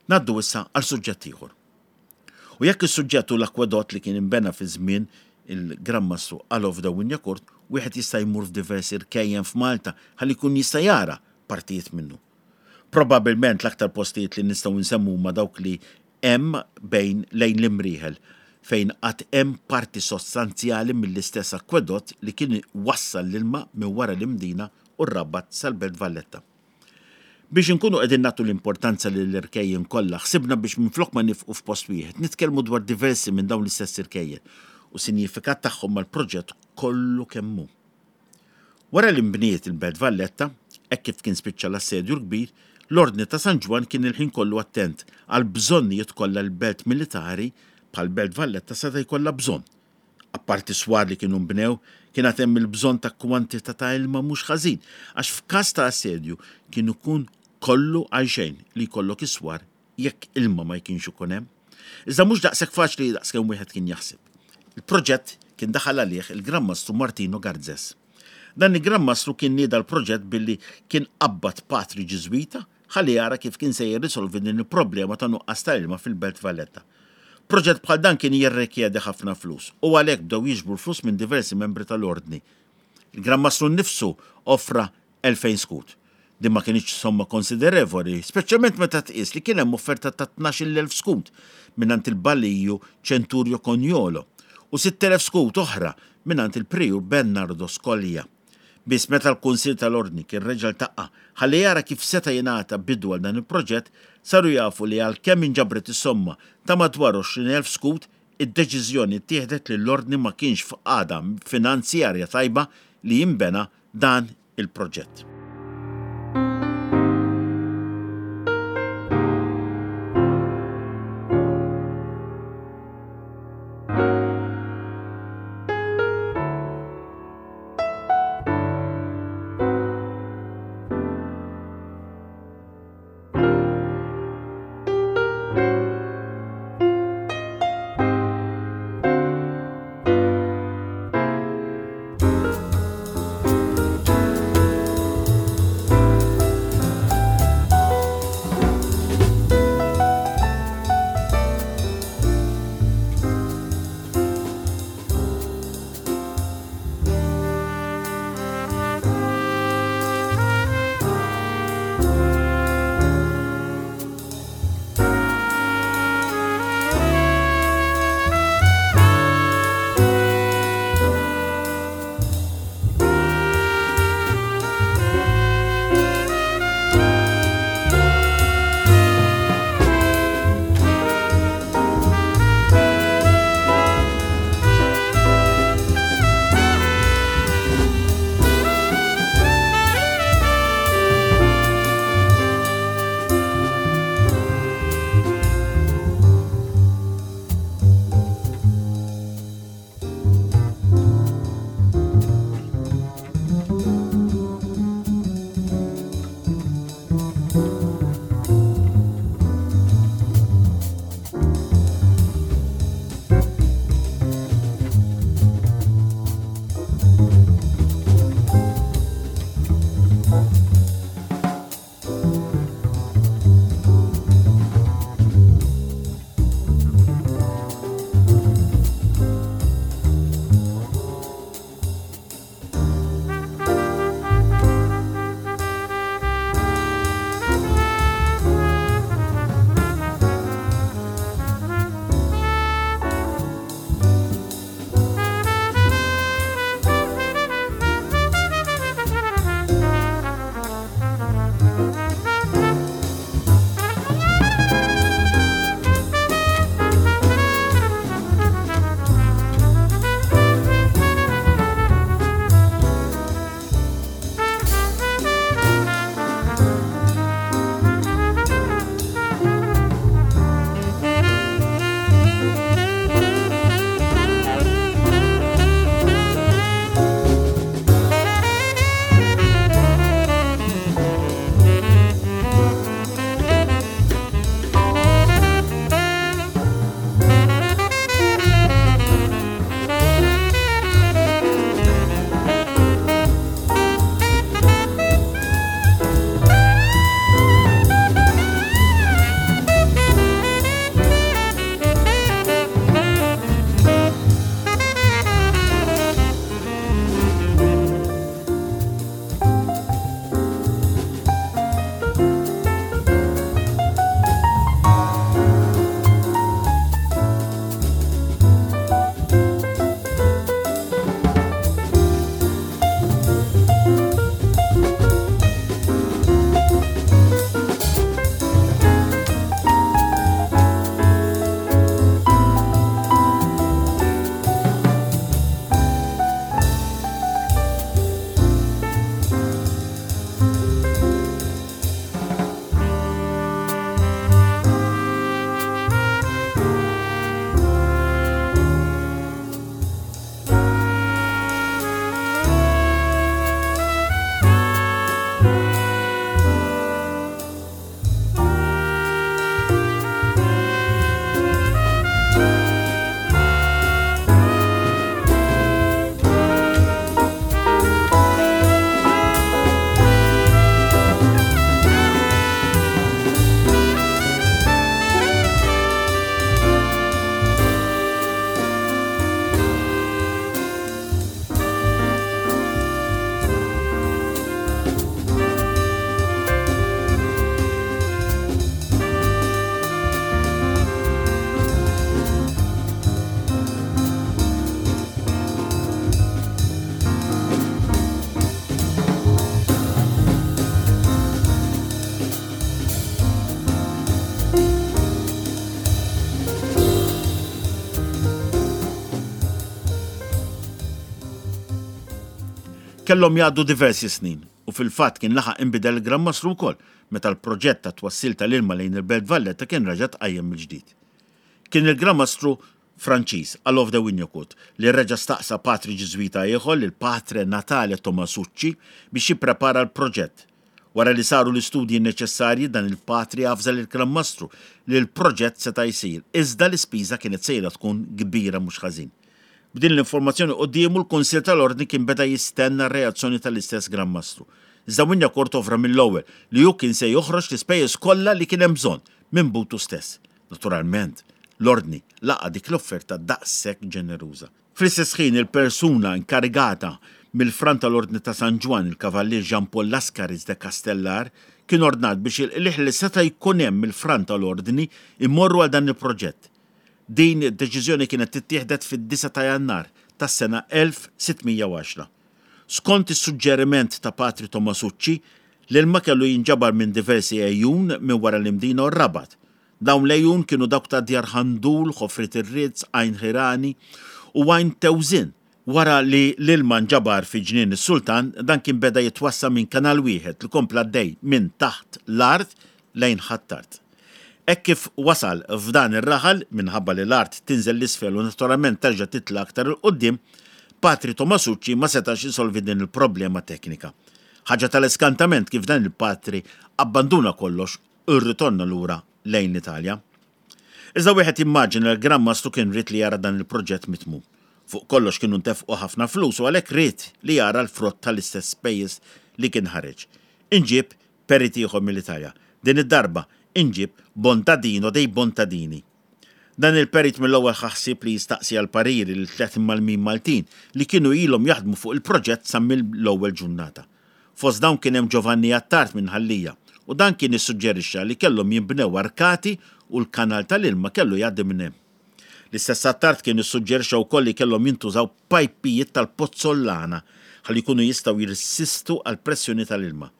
Ngħaddu issa għal suġġett ieħor. U jekk is-suġġett hu l-akwedott li kien inbena fi żmien il-Gran Mastru Alof de Wignacourt, wieħed jista' jmur f'diversi rkejjen f'Malta ħalli jkun jista' jara partijiet minnu. Probabbilment l-aktar postijiet li nistgħu nsemmu huma dawk li hemm bejn lejn l-Imrieħel fejn għad hemm parti sostanzjali mill-istess akwedott li kien iwassal l-ilma minn wara l-Imdina u r-Rabat sal-Belt Valletta. Biex inkunu qegħdin nagħtu l-importanza lill-irkejjen kollha, ħsibna biex minflok ma nifqu f'post wieħed, nitkellmu dwar diversi minn dawn l-istess irkejjen u sinjifikat tagħhom mal-proġett kollu kemm hu. Wara li nbniet il-Belt Valletta, hekk kif kien spiċċa l-Assedju l-Kbir, l-Ordni ta' San Ġwann kien il-ħin kollu attent għall-bżonnijiet kollha li belt militari bħal Belt Valletta seta' jkollha bżonn. Apparti swar li kienu nbnew, kien għad hemm il-bżonn ta' kwantità ta' ilma mhux ħażin, għax f'każ ta' assedju kien ikun kollu għalxejn li jkollok is-swar jekk ilma ma jkienx ikun hemm. Iżda mhux daqshekk faċli daqskemm wieħed kien jaħseb. Il-proġett kien daħal għalih il-Gran Mastru Martino Garzes. Dan il-Gran Mastru kien nieda l-proġett billi kien qabbad patri Ġiżwita ħalli jara kif kien se jirrisolvi din il-problema ta' nuqqas ta' ilma fil-Belt Valletta. Proġett bħal dan kien jirrikjedi ħafna flus u għalhekk bdew jiġbru l-flus minn diversi membri tal-Ordni. Il-Gran Mastru nnifsu offra 2,000 skud. Din ma kinitx somma konsiderevoli, speċjalment meta tqies li kien hemm offerta ta' 12,000 skud mingħand il-Baliju Centurio Cognolo u 6,000 skud oħra mingħand il-Prijur Bernardo Scolia. Biss meta l-Kunsill tal-Ordni kien reġa' ltaqa' ħalli jara kif seta' jingħata bidu għal dan il-proġett, saru jafu li għalkemm inġabret is-somma ta' madwar 20,000 skud, id-deċiżjoni ttieħdet li l-Ordni ma kienx f'qagħda finanzjarja tajba li jinbena dan il-proġett. Kellhom jgħaddu diversi snin, u fil-fatt kien laħaq inbidel il-Gran Mastru wkoll, meta l-proġett tat-twassil tal-ilma lejn il-Belt Valletta kien reġa' tqajjem mill-ġdid. Kien il-Gran Mastru Franċiż, Alof de Wignacourt, li reġa' staqsa patri Ġiżwita ieħor, lil Patre Natale Tomasucci, biex jipprepara l-proġett. Wara li saru l-istudji neċessarji, dan il-patri avża lill-Gran Mastru li l-proġett seta' jsir, iżda l-ispiża kienet sejra tkun kbira mhux ħażin. B'din l-informazzjoni quddiemu, l-Kunsill tal-Ordni kien beda jistenna r-reazzjoni tal-istess Gran Mastru. Iżda Wignacourt offra mill-ewwel li hu kien se joħroġ l-ispejjeż kollha li kien hemm bżonn minn butu stess. Naturalment, l-Ordni laqa' dik l-offerta daqshekk ġeneruża. Fl-istess ħin il-persuna inkarigata mill-Fran tal-Ordni ta' San Ġwann, il-Kavallier Jean Paul Lascaris de Castellar, kien ordnat biex il-qligħ li seta' jkun hemm mill-Fran tal-Ordni jmorru għal dan il-proġett. Din id-deċiżjoni kienet ittieħdet fid-disgħa ta' Jannar tas-sena 1610. Skont is-suġġeriment ta' Patri Tomasucci, l-ilma kellu jinġabar minn diversi għejun minn wara l-Imdina u r-Rabat. Dawn l-għejun kienu dawk ta' Djar Ħandul, Ħofriet ir-Rizz, Għajn Ħirani u Għajn Tewżin. Wara li l-ilma nġabar fi Ġnien is-Sultan, dan kien beda jitwassa' minn kanal wieħed li kompla għaddej minn taħt l-art lejn Ħ'Attard. Hekk kif wasal f'dan ir-raħal, minħabba li l-art tinżel 'l isfel u naturalment terġa' titla' aktar 'il quddiem, Patri Tomasucci ma setax isolvi din il-problema teknika. Ħaġa tal-iskantament kif dan il-patri abbanduna kollox u rritorna lura lejn l-Italja. Iżda wieħed jimmaġina li l-Gran Mastru kien ried li jara dan il-proġett mitmum. Fuq kollox kienu ntefqu ħafna flus u għalhekk ried li jara l-frott tal-istess spejjeż li kien ħareġ. Inġieb perit ieħor mill-Italja. Din id-darba inġieb Bontadino dei Bontadini. Dan il-perit mill-ewwel ħa ħsieb li jistaqsi għall-pariri lil tlett imgħallmin Maltin li kienu ilhom jaħdmu fuq il-proġett sa mill-ewwel ġurnata. Fost dawn kien hemm Giovanni Attard minn Ħal Lija u dan kien issuġġerixxa li kellhom jinbnew arkati u l-kanal tal-ilma kellu jgħaddi minn hemm. L-istess Attard kien issuġġerixxa wkoll li kellhom jintużaw pajpijiet tal-pozzollana ħalli jkunu jistgħu jirsistu għall-pressjoni tal-ilma.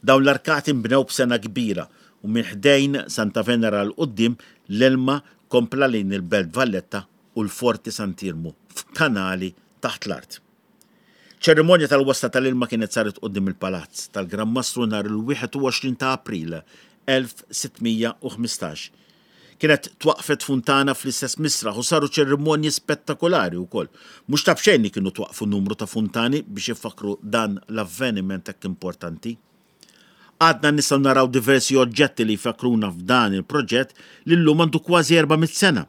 Dawn l-arkati nbnew b'sengħa kbira u minn ħdejn Santa Venera 'l quddiem l-ilma kompla lejn il-Belt Valletta u l-Forti Sant'Iermu f'kanali taħt l-art. Ċerimonja tal-wasla tal-ilma kienet saret quddiem il-Palazz tal-Gran Mastru nhar il-21 ta' April 1615. Kienet twaqqfet funtana fl-istess misraħ u saru ċerimonji spettakolari wkoll. Mhux ta' b'xejn li kienu twaqqfu numru ta' funtani biex ifakkru dan l-avveniment hekk importanti. Għadna nistgħu naraw diversi oġġetti li jfakkruna f'dan il-proġett li llum għandu kważi 400 sena.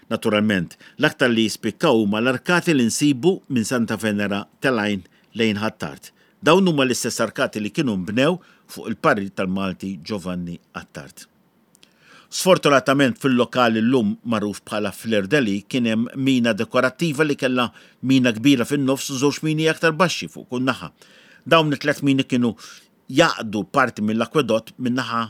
Naturalment, l-aktar li jispikkaw huma l-arkati li nsibu minn Santa Venera telgħin lejn Ħ'Attard. Dawn huma l-istess arkati li kienu nbnew fuq il-parir tal-Malti Giovanni Attard. Sfortunatament fil-lokal illum magħruf bħala Fleur de Lys kien hemm mina dekorattiva li kellha mina kbira fin-nofs u żewġ mini aktar baxxi fuq kull naħa. Dawn it-tliet mini kienu jgħaqqdu parti mill-akwedott min-naħa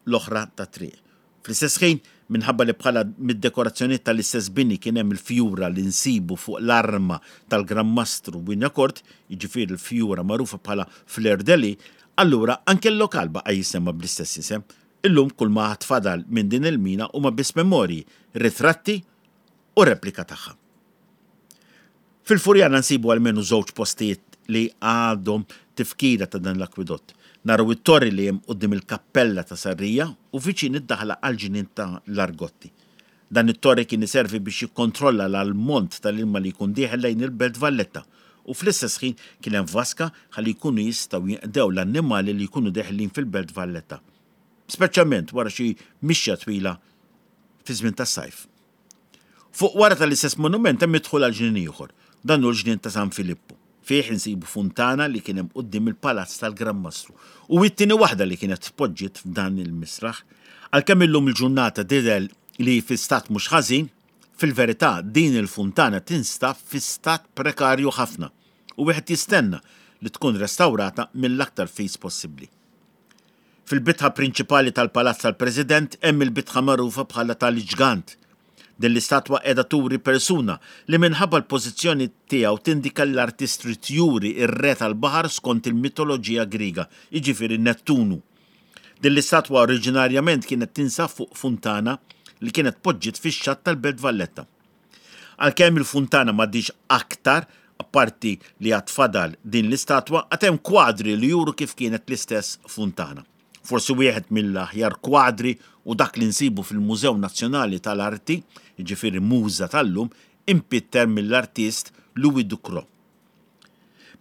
l-oħra tat-triq. Fl-istess ħin, minħabba li bħala mid-dekorazzjonijiet tal-istess bini kien hemm il-fjura li nsibu fuq l-arma tal-Gran Mastru Wignacourt, jiġifieri l-fjura magħrufa bħala Fleur de Lys, allura anke l-lokal baqa' jissemma bl-istess isem. Illum kull ma għad fadal minn din il-mina huma biss memorji, ritratti u replika tagħha. Fil-Furjana nsibu almenu żewġ postijiet li għadhom tifkira ta' dan l-akwidott. Naraw it-torri li hemm quddiem il-kappella ta' Sarrija u viċin id-daħla għall-ġnien ta' l-Argotti. Dan it-torri kien iservi biex jikkontrolla l-almont tal-ilma li jkun dieħel lejn il-Belt Valletta u fl-istess ħin kien hemm vaska ħalli jkunu jistgħu jinqdew l-annimali li jkunu deħlin fil-Belt Valletta, speċjalment wara xi mixja twila fiż-żmien tas-sajf. Fuq wara tal-istess monument hemm id-dħul għal ġnien ieħor. Dan hu l-ġnien ta' San Filippu. Fih insibu funtana li kien hemm quddiem il-palazz tal-Gran Mastru u hi t-tieni waħda li kienet tpoġġiet f'dan il-misraħ. Għalkemm illum il-ġurnata tidher li hi fi stat mhux ħażin, fil-verità din il-funtana tinstab fi stat prekarju ħafna u wieħed jistenna li tkun restawrata mill-aktar fis possibbli. Fil-bitħa prinċipali tal-Palazz tal-President hemm il-bitħa magħrufa bħala tal-Ġgant. Din l-istatwa qiegħda turi persuna li minħabba l-pożizzjoni tiegħu tindika li l-artist ried juri r-re tal-baħar skont il-mitoloġija Griega, jiġifieri Nettunu. Din l-istatwa oriġinarjament kienet tinsab fuq funtana li kienet tpoġġiet fix-xatt tal-Belt Valletta. Għalkemm il-funtana m'għadhiex aktar, Apparti li għad fadal din l-istatwa, għad hemm kwadri li juru kif kienet l-istess funtana. Forsi wieħed mill-aħjar kwadri hu dak li nsibu fil-Mużew Nazzjonali tal-Arti, jiġifieri MUŻA tal-lum, impitter mill-artist Louis Ducros.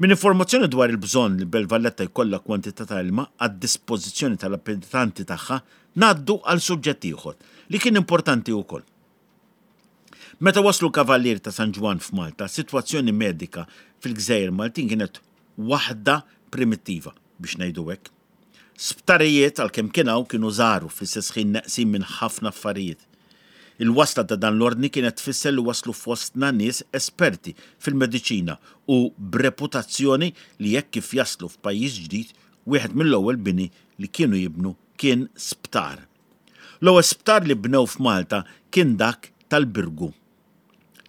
Minn informazzjoni dwar il-bżonn li Belt Valletta jkollha kwantità ta' ilma għad-dispożizzjoni tal-abitanti tagħha, ngħaddu għal suġġett ieħor li kien importanti wkoll. Meta waslu l-Kavallieri ta' San Ġwann f'Malta, s-sitwazzjoni medika fil-gżejjer Maltin kienet waħda primittiva, biex ngħidu hekk. Sptarijiet, għalkemm kien hawn, kienu żgħar u fl-istess ħin neqsin minn ħafna affarijiet. Il-wasla ta' dan l-ordni kienet tfisser li waslu fostna nies esperti fil-mediċina u b'reputazzjoni li hekk kif jaslu f'pajjiż ġdid, wieħed mill-ewwel bini li kienu jibnu kien sptar. L-ewwel sptar li bnew f'Malta kien dak tal-Birgu.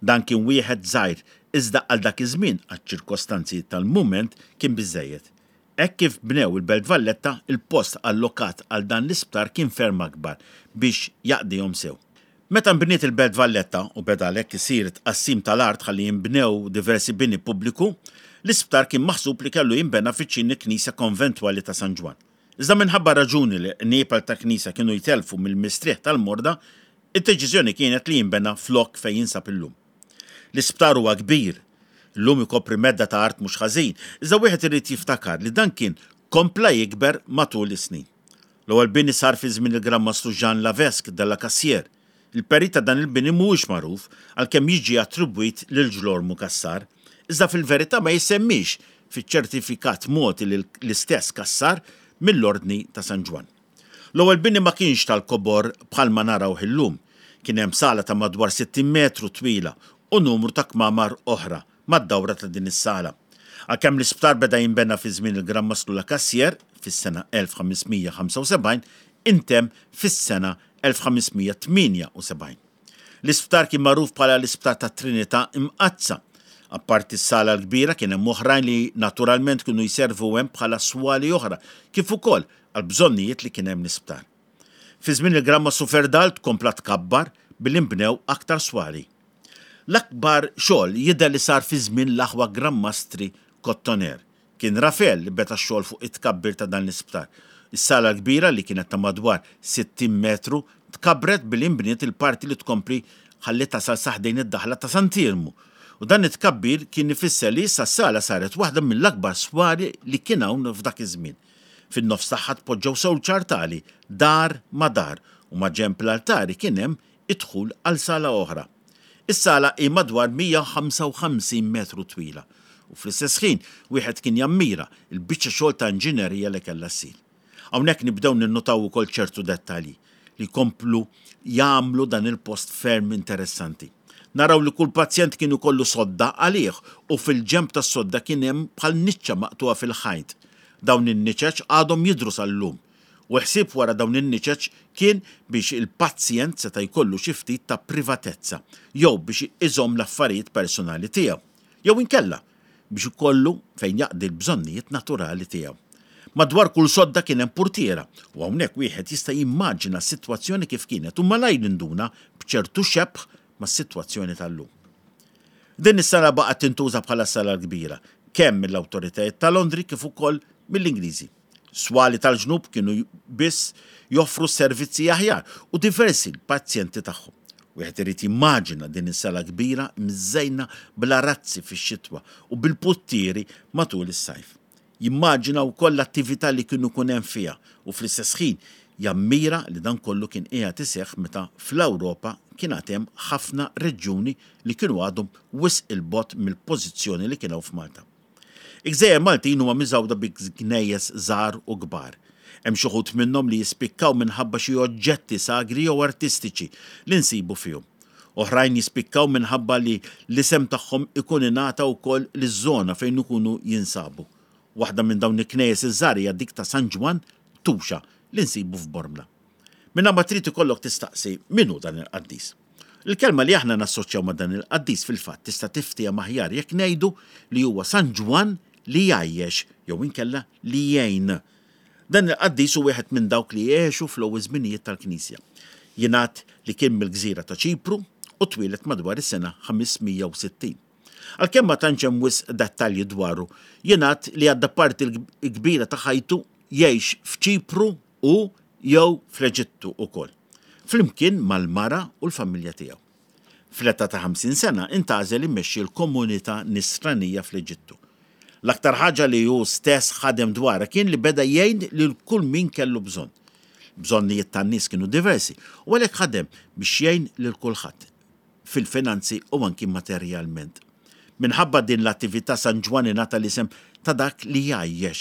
Dan kien wieħed żgħir iżda għal dak iż-żmien, għaċ-ċirkostanzi tal-mument, kien biżżejjed. Hekk kif bnew il-Belt Valletta, il-post allokat għal dan l-isptar kien ferm akbar biex jaqdihom sew. Meta nbniet il-Belt Valletta u beda għalhekk isir tqassim tal-art ħalli jinbnew diversi bini pubbliku, l-isptar kien maħsub li kellu jinbena viċin il-knisja konventwali ta' San Ġwann. Iżda minħabba raġuni li l-qniepel ta' knisja kienu jtellfu mill-mistrieħ tal-morda, id-deċiżjoni kienet li jinbena flok fejn jinsab illum. L-isptar huwa kbir. Illum ikopri medda ta' art mhux ħażin, iżda wieħed irid jiftakar li dan kien kompla jikber matul is-snin. L-ewwel bini sar fi żmien il-Gran Mastru Jean Lavesque de la Cassière. Il-perit ta' dan il-bini mhuwiex magħruf, għalkemm jiġi attribwit lil Ġlormu Cassar, iżda fil-verità ma jissemmiex fiċ-ċertifikat mogħti lil l-istess Cassar mill-Ordni ta' San Ġwann. L-ewwel bini ma kienx tal-kobor bħalma narawh illum. Kien hemm sala ta' madwar 60 metru twila u numru ta' kmamar oħra mad-dawra ta' din is-sala. Għalkemm l-isptar beda jinbena fi żmien il-Gran Mastru La Cassière fis-sena 1575, intemm fis-sena 1578. L-isptar kien magħruf bħala l-Isptar tat-Trinità Imqaddsa. Apparti s-sala l-kbira kien hemm oħrajn li naturalment kienu jservu hemm bħala swali oħra, kif ukoll għall-bżonnijiet li kien hemm l-isptar. Fi żmien il-Gran Mastru Ferdald kompla tkabbar billi nbnew aktar swali. L-akbar xogħol jidher li sar fi żmien l-aħwa Gran Mastri Kottoner. Kien Rafel li beda x-xogħol fuq it-tkabbir ta' dan l-isptar. Is-sala l-kbira li kienet ta' madwar 60 metru tkabbret billi nbniet il-parti li tkompli ħalli tasal sa ħdejn id-daħla ta' Sant'Iermu. U dan it-tkabbir kien ifisser li issa s-sala saret waħda mill-akbar swali li kien hawn f'dak iż-żmien. Fin-nofs tagħha tpoġġew sewġ artali, dar ma' dar, u maġenb l-altari kien hemm id-dħul għal sala oħra. Is-sala hi madwar 155 metru twila u fl-istess ħin wieħed kien jammira l-biċċa xogħol ta' inġinerija li kellha ssir. Hawnhekk nibdew ninnutaw ukoll ċertu dettalji li jkomplu jagħmlu dan il-post ferm interessanti. Naraw li kull pazjent kien ikollu sodda għalih u fil-ġenb tas-sodda kien hemm bħal niċċa maqtugħa fil-ħajt. Dawn in-niċeċ għadhom jidhru sal-lum. U l-ħsieb wara dawn in-niċeċ kien biex il-pazjent seta' jkollu xi ftit ta' privatezza jew biex iżomm l-affarijiet personali tiegħu, jew inkella biex ikollu fejn jaqdi l-bżonnijiet naturali tiegħu. Madwar kull sodda kien hemm purtiera u hawnhekk wieħed jista' jimmaġina s-sitwazzjoni kif kienet u malajr induna b'ċertu xebh mas-sitwazzjoni tal-lum. Din is-sala baqgħet tintuża bħala s-sala l-kbira, kemm mill-awtoritajiet ta' Londri kif ukoll mill-Ingliżi. Swali tal-ġnub kienu biss joffru servizzi aħjar u diversi l-pazjenti tagħhom. Wieħed irid jimmaġina din is-sala kbira mżejna bl-arazzi fix-xitwa u bil-puttieri matul is-sajf. Jimmaġina wkoll l-attività li kienu jkun hemm fiha u fl-istess ħin jammira li dan kollu kien qiegħed iseħħ meta fl-Ewropa kien għad hemm ħafna reġjuni li kienu għadhom wisq 'il bogħod mill-pożizzjoni li kien hawn f'Malta. Il-gżejjer Maltin huma miżgħuda bi knejjes żgħar u kbar. Hemm xi wħud minnhom li jispikkaw minħabba xi oġġetti sagri jew artistiċi li nsibu fihom. Oħrajn jispikkaw minħabba li l-isem tagħhom ikun ingħata wkoll liż-żona fejn ikunu jinsabu. Waħda minn dawn il-knejjes iż-żgħar hija dik ta' San Ġwann Tuxa li nsibu f'Bormla. Mingħajr ma trid ikollok tistaqsi min hu dan il-qaddis. Il-kelma li aħna nassoċjaw ma' dan il-qaddis fil-fatt tista' tiftiehem aħjar jekk ngħidu li huwa San Ġwann li jgħajjex jew inkella li jgħin. Dan il-qaddis hu wieħed minn dawk li għexu fl-ewwel żminijiet tal-Knisja. Jingħad li kien mill-gżira ta' Ċipru u twieled madwar is-sena 560. Għalkemm ma tantx hemm wisq dettalji dwaru, jingħad li għadda parti l-kbira ta' ħajtu jgħix f'Ċipru u jew fl-Eġittu ukoll, flimkien mal-mara u l-familja tiegħu. Fl-età ta' 50 sena intgħażel imexxi l-komunità Nisranija fl-Eġittu. L-aktar ħaġa li hu stess ħadem dwarha kien li beda jgħin lil kull min kellu bżonn. Bżonnijiet tan-nies kienu diversi u għalhekk ħadem biex jgħin lil kulħadd, fil-finanzi u anki materjalment. Minħabba din l-attività San Ġwann ingħata l-isem ta' dak li jgħajjex.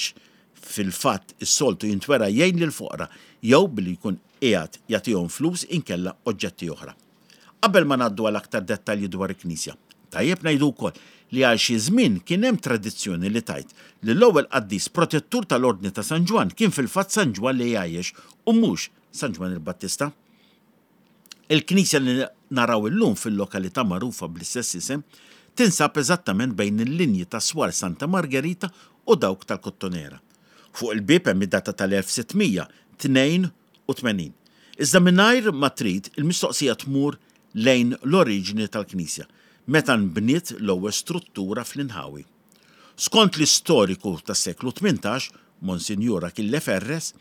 Fil-fatt is-soltu jintwera jgħin lill-foqra jew billi jkun qiegħed jagħtihom flus inkella oġġetti oħra. Qabel ma ngħaddu għal aktar dettalji dwar il-knisja, tajjeb ngħidu wkoll li għal xi żmien kien hemm tradizzjoni li tgħid li l-ewwel qaddis protettur tal-Ordni ta' San Ġwann kien fil-fatt San Ġwann li jgħajjex u mhux San Ġwann il-Battista. Il-knisja li naraw illum fil-lokalità magħrufa bl-istess isem tinsab eżattament bejn il-linji tas-swar Santa Margherita u dawk tal-Kottonera. Fuq il-bieb hemm id-data tal-1682. Iżda mingħajr ma trid, il-mistoqsija tmur lejn l-oriġini tal-knisja, meta nbniet l-ewwel struttura fl-inħawi. Skont l-istoriku tas-seklu 18, Monsinjur Achille Ferres,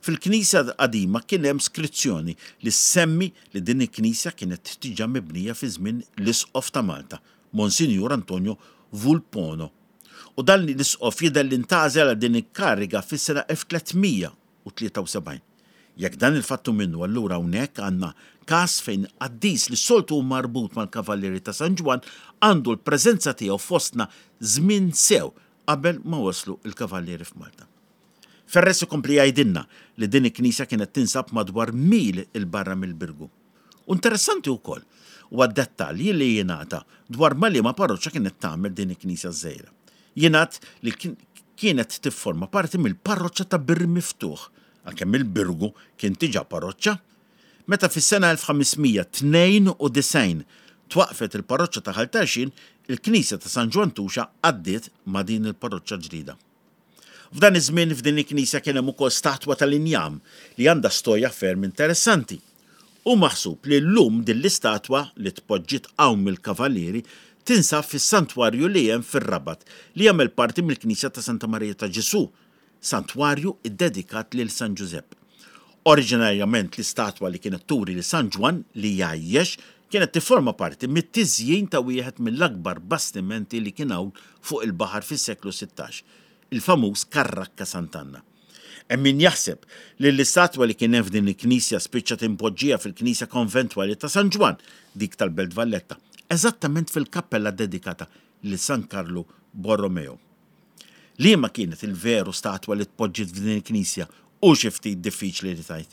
fil-knisja qadima kien hemm skrizzjoni li ssemmi li din il-knisja kienet diġà mibnija fi żmien l-Isqof ta' Malta, Monsinjur Antonio Vulpono. U dan l-isqof jidher li ntgħażel għal din il-kariga fis-sena 1373. Jekk dan il-fatt hu minnu allura hawnhekk għandna każ fejn qaddis li s-soltu hu marbut mal-Kavallieri ta' San Ġwann għandu l-preżenza tiegħu fostna żmien sew qabel ma waslu l-Kavallieri f'Malta. Ferres ikompli jgħidilna li din il-knisja kienet tinsab madwar mil 'il barra mill-Birgu. U interessanti wkoll huwa d-dettalji li jingħata dwar ma' liema parroċċa kienet tagħmel din il-knisja ż-żgħira. Jingħad li kienet tifforma parti mill-parroċċa ta' Bir Miftuħ, għalkemm il-Birgu kien diġà parroċċa. Meta fis-sena 1592 twaqqfet il-parroċċa ta' Ħal Tarxien, il-knisja ta' San Ġwann Tuxa għaddiet ma' din il-parroċċa ġdida. F'dan iż-żmien f'din il-knisja kien hemm ukoll statwa tal-injam li għandha storja ferm interessanti. Hu maħsub li llum din l-istatwa, li tpoġġiet hawn mill-Kavallieri, tinsab fis-santwarju li hemm fir-Rabat li jagħmel parti mill-knisja ta' Santa Marija ta' Ġesù, santwarju ddedikat lil San Ġużepp. Oriġinarjament l-istatwa li kienet turi lil San Ġwann li jgħajjex kienet tifforma parti mit-tiżjin ta' wieħed mill-akbar bastimenti li kien hawn fuq il-baħar fis-seklu 16, il-famuż Karrakka Sant'Anna. Hemm min jaħseb li l-istatwa li kien hemm f'din il-knisja spiċċat impoġġija fil-knisja konventwali ta' San Ġwann, dik tal-Belt Valletta, eżattament fil-kappella ddedikata lil San Karlu Borromeo. Liema kienet il-veru statwa li tpoġġiet f'din il-knisja hu xi ftit diffiċli li tgħid.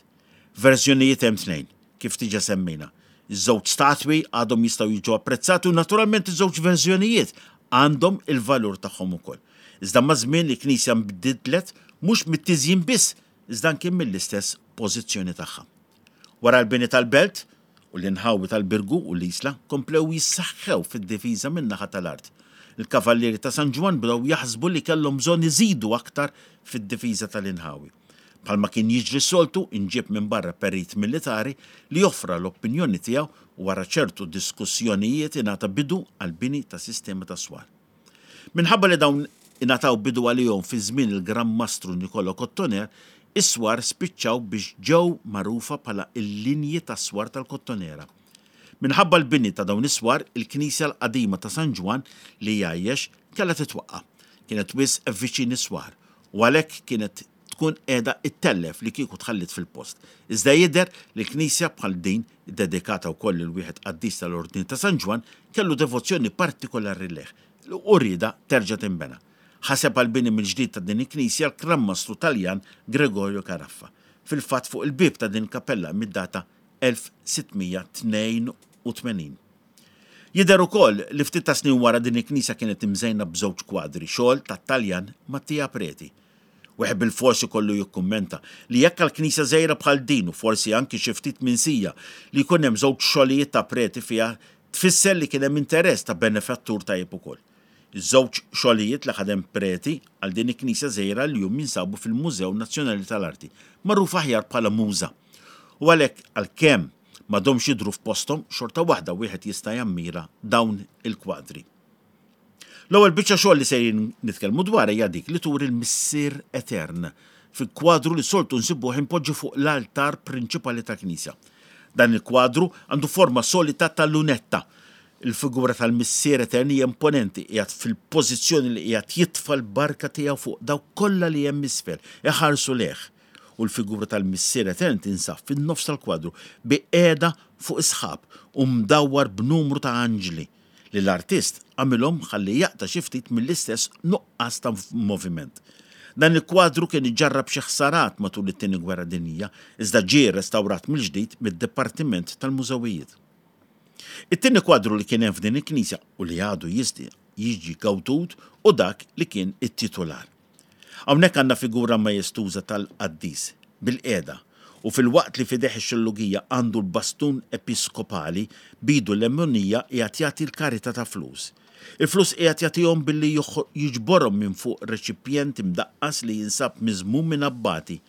Verżjonijiet hemm tnejn, kif diġà semmejna. Iż-żewġ statwi għadhom jistgħu jiġu apprezzati u naturalment iż-żewġ verżjonijiet għandhom il-valur tagħhom ukoll. Iżda maż-żmien il-knisja nbidlet mhux mit-tiżjin biss iżda anki mill-istess pożizzjoni tagħha. Wara l-bini tal-belt, u l-inħawi tal-Birgu u l-Isla komplew jissaħħew fid-difiża min-naħa tal-art. Il-Kavallieri ta' San Ġwann bdew jaħsbu li kellhom bżonn iżidu aktar fid-difiża tal-inħawi. Bħalma kien jiġri s-soltu, inġieb minn barra perit militari li offra l-opinjoni tiegħu u wara ċertu diskussjonijiet ingħata bidu għall-bini ta' sistema ta' swar. Minħabba li dawn ingħataw bidu għalihom fi żmien il-Gran Mastru Nicolò Cottoner, is-swar spiċċaw biex ġew magħrufa bħala l-linji tas-swar tal-Kottonera. Minħabba l-bini ta' dawn is-swar, il-knisja l-qadima ta' San Ġwann li jgħajjex kellha titwaqqa'. Kienet wisq viċin is-swar u għalhekk kienet tkun qiegħda ttellef li kieku tħalliet fil-post. Iżda jidher li knisja bħal din, iddedikata wkoll lil wieħed qaddis tal-Ordni ta' San Ġwann, kellu devozzjoni partikolari lejh u riedha terġa' tinbena. Ħaseb għall-bini mill-ġdid ta' din il-knisja l-Gran Mastru Taljan Gregorio Caraffa. Fil-fatt fuq il-bieb ta' din il-kappella hemm id-data 1682. Jidher ukoll li ftit ta' snin wara din il-knisja kienet imżejna b'żewġ kwadri, xogħol tat-Taljan Mattia Preti. Wieħed bilfors ikollu jikkummenta li jekk għal knisja żgħira bħal din u forsi anki xi ftit minsija li jkun hemm żewġ xogħlijiet ta' Preti fiha tfisser li kien hemm interess ta' benefattur tajjeb ukoll. Iż-żewġ xogħlijiet li ħadem Preti għal din il-knisja żgħira llum jinsabu fil-Mużew Nazzjonali tal-Arti, magħruf aħjar bħala MUŻA. U għalhekk għalkemm m'għadhomx jidhru f'posthom, xorta waħda wieħed jista' jammira dawn il-kwadri. L-ewwel biċċa xogħol li sejrin nitkellmu dwarha hija dik li turi l-Missier Etern fi kwadru li soltu nsibuh impoġġi fuq l-altar prinċipali tal-knisja. Dan il-kwadru għandu forma solita ta' lunetta. Il-figura tal-Missier Etern hija imponenti, qiegħed fil-pożizzjoni li qiegħed jitfa' l-barka tiegħu fuq dawk kollha li hemm isfel, iħarsu lejh. U l-figura tal-Missier Etern tinsab fin-nofs tal-kwadru bi qiegħda fuq is-sħab u mdawwar b'numru ta' anġli li l-artist għamilhom ħalli jaqta' xi ftit mill-istess nuqqas ta' moviment. Dan il-kwadru kien iġarrab xi ħsarat matul it-Tieni Gwerra Dinjija, iżda ġie rrestawrat mill-ġdid mid-Dipartiment tal-Mużewijiet. It-tieni kwadru li kien hemm f'din il-knisja u li għadu jista' jiġi gawdut hu dak li kien it-titular. Hawnhekk għandna figura majestuża tal-qaddis, bilqiegħda, u filwaqt li f'idejh ix-xellugija għandu l-bastun episkopali, b'idu l-lemunija qiegħed jagħti l-karità ta' flus. Il-flus qiegħed jagħtihom billi jiġborhom minn fuq reċipjent imdaqqas li jinsab miżmum minn abbati.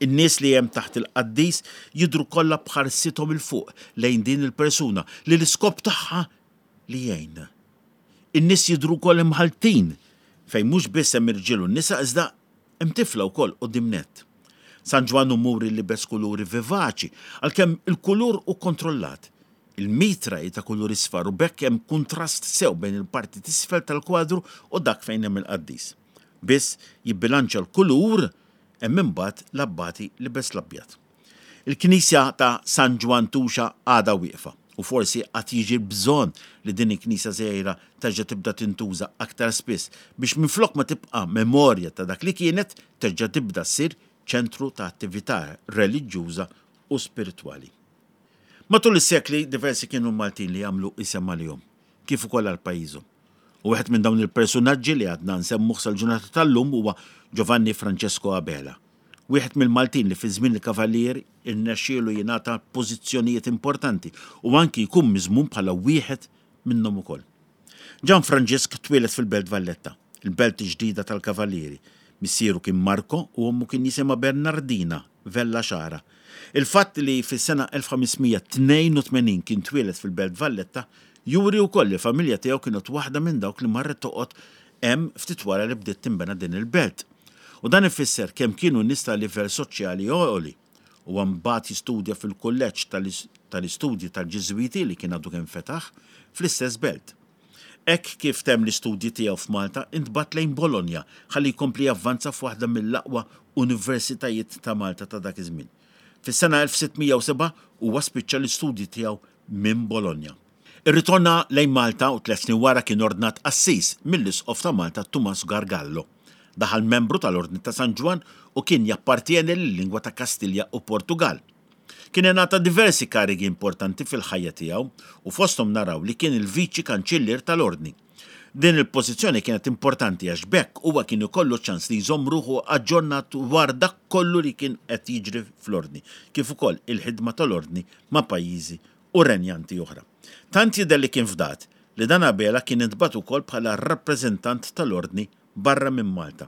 In-nies li hemm taħt il-qaddis jidhru kollha b'ħarsithom 'il fuq lejn din il-persuna li l-iskop tagħha li jgħin. In-nies jidhru wkoll imħalltin, fejn mhux biss hemm irġiel u nisa iżda hemm tifla wkoll quddiem nett. San Ġwann hu muri libes kuluri vivaċi, għalkemm il-kulur hu kontrollat. Il-mitra hi ta' kulur isfar u b'hekk hemm kuntrast sew bejn il-parti t'isfel tal-kwadru u dak fejn hemm il-qaddis. Biss jibbilanċja l-kulur hemm imbagħad l-abbati libes l-abjad. Il-knisja ta' San Ġwann Tuxa għadha wieqfa u forsi għad jiġi l-bżonn li din il-knisja żgħira terġa' tibda tintuża aktar spiss biex minflok ma tibqa' memorja ta' dak li kienet, terġa' tibda ssir ċentru ta' attività reliġjuża u spiritwali. Matul is-sekli diversi kienu l-Maltin li għamlu isem għalihom, kif ukoll għal pajjiżhom. U wieħed minn dawn il-persunaġġi li għadna nsemmuh sal-ġurnata tal-lum huwa Giovanni Francesco Abela. Wieħed mill-Maltin li fi żmien il-Kavallieri rnexxielu jingħata pożizzjonijiet importanti u anki jkun miżmum bħala wieħed minnhom ukoll. Ġan Franġisk twieled fil-Belt Valletta, il-belt ġdida tal-Kavallieri. Missieru kien Marco u ommu kien jisimha Bernardina Vella Xara. Il-fatt li fis-sena 1582 kien twieled fil-Belt Valletta juri wkoll li l-familja tiegħu kienet waħda minn dawk li marret toqgħod hemm ftit wara li bdiet tinbena din il-belt. U dan ifisser kemm kienu nies ta' livell soċjali għoli. Huwa mbagħad jistudja fil-kulleġġ tal-istudji tal-Ġiżwiti li kien għadu kemm fetaħ fl-istess belt. Hekk kif temm l-istudji tiegħu f'Malta intbagħat lejn Bologna ħalli jkompli javvanza f'waħda mill-aqwa universitajiet ta' Malta ta' dak iż-żmien. Fis-sena 1607 huwa spiċċa l-istudji tiegħu minn Bologna. Irritorna lejn Malta u tlett snin wara kien ordnat qassis mill-Isqof ta' Malta Tumas Gargallo. Daħal membru tal-Ordni ta' San Ġwann u kien jappartjeni lil-lingwa ta' Kastilja u Portugall. Kien ingħata diversi karigi importanti fil-ħajja tiegħu u fosthom naraw li kien il-Viċi Kanċillier tal-Ordni. Din il-pożizzjoni kienet importanti għax b'hekk huwa kien ikollu ċ-ċans li jżomm ruħu aġġornat dwar dak kollu li kien qed jiġri fl-Ordni, kif ukoll il-ħidma tal-Ordni ma' pajjiżi u renjanti oħra. Tant jidher li kien fdat li dan Abela kien intbagħat ukoll bħala r-rappreżentant tal-Ordni barra minn Malta.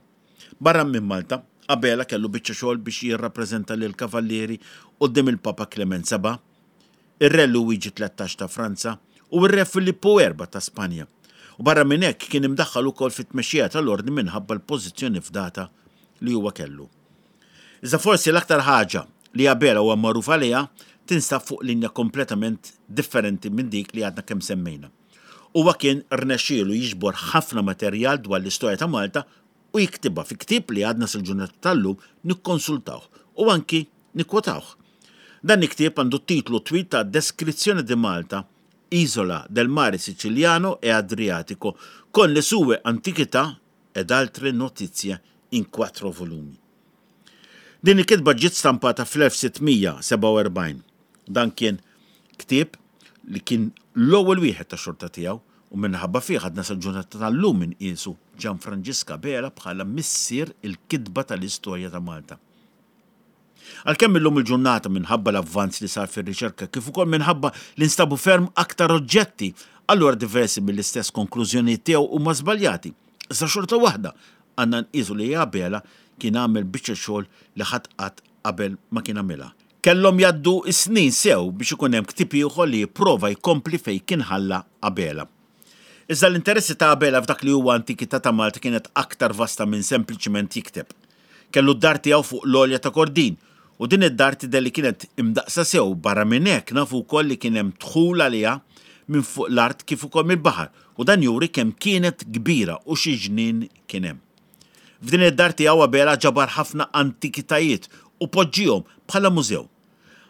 Barra minn Malta, Abela kellu biċċa xogħol biex jirrappreżenta lill-Kavallieri quddiem il-Papa Klement Seba', ir-Re Luwiġi 13 ta' Franza u r-Re Filippu Erba' ta' Spanja. U barra minn hekk kien imdaħħal ukoll fit-tmexxija tal-Ordni minħabba l-pożizzjoni fdata li huwa kellu. Iżda forsi l-aktar ħaġa li Abela huwa magħruf għaliha tinsab fuq linja kompletament differenti minn dik li għadna kemm semmejna. Huwa kien rnexxielu jiġbor ħafna materjal dwar l-istorja ta' Malta u jiktibha fi ktieb li għadna sal-ġurnata tal-lum nikkonsultawh u anki nikkwotawh. Dan il-ktieb għandu t-titlu twil ta' Descrizione di Malta, Isola del mare Siciliano e Adriatico, con le sue antichità ed altre notizie in quattro volumi. Din il-kitba ġiet stampata fl-1647. Dan kien ktieb li kien l-ewwel wieħed ta' xorta tiegħu u minħabba fih għadna sal-ġurnata tal-lum inqiesu Ġan Franġisk Abela bħala missier il-kitba tal-istorja ta' Malta. Għalkemm illum il-ġurnata minħabba l-avvanz li sar fir-riċerka kif ukoll minħabba li nstabu ferm aktar oġġetti, allura diversi mill-istess konklużjonijiet tiegħu huma żbaljati. Iżda xorta waħda għandna nqisu li Abela kien għamel biċċa xogħol li ħadd qatt qabel ma kien għamilha. Kellhom jgħaddu s-snin sew biex ikun hemm ktieb ieħor li jipprova jkompli fejn kien ħalla Abela. Iżda l-interessi ta' Abela f'dak li huwa antikità ta' Malta kienet aktar vasta minn sempliċiment jikteb. Kellu d-dar tiegħu fuq l-għolja ta' Kordin, u din id-dar tidher li kienet imdaqqsa sew, barra minn hekk nafu wkoll li kien hemm dħul għaliha minn fuq l-art kif ukoll mill-baħar, u dan juri kemm kienet kbira u xi ġnien kien hemm. F'din id-dar tiegħu Abela ġabar ħafna antikitajiet u poġġihom bħala mużew.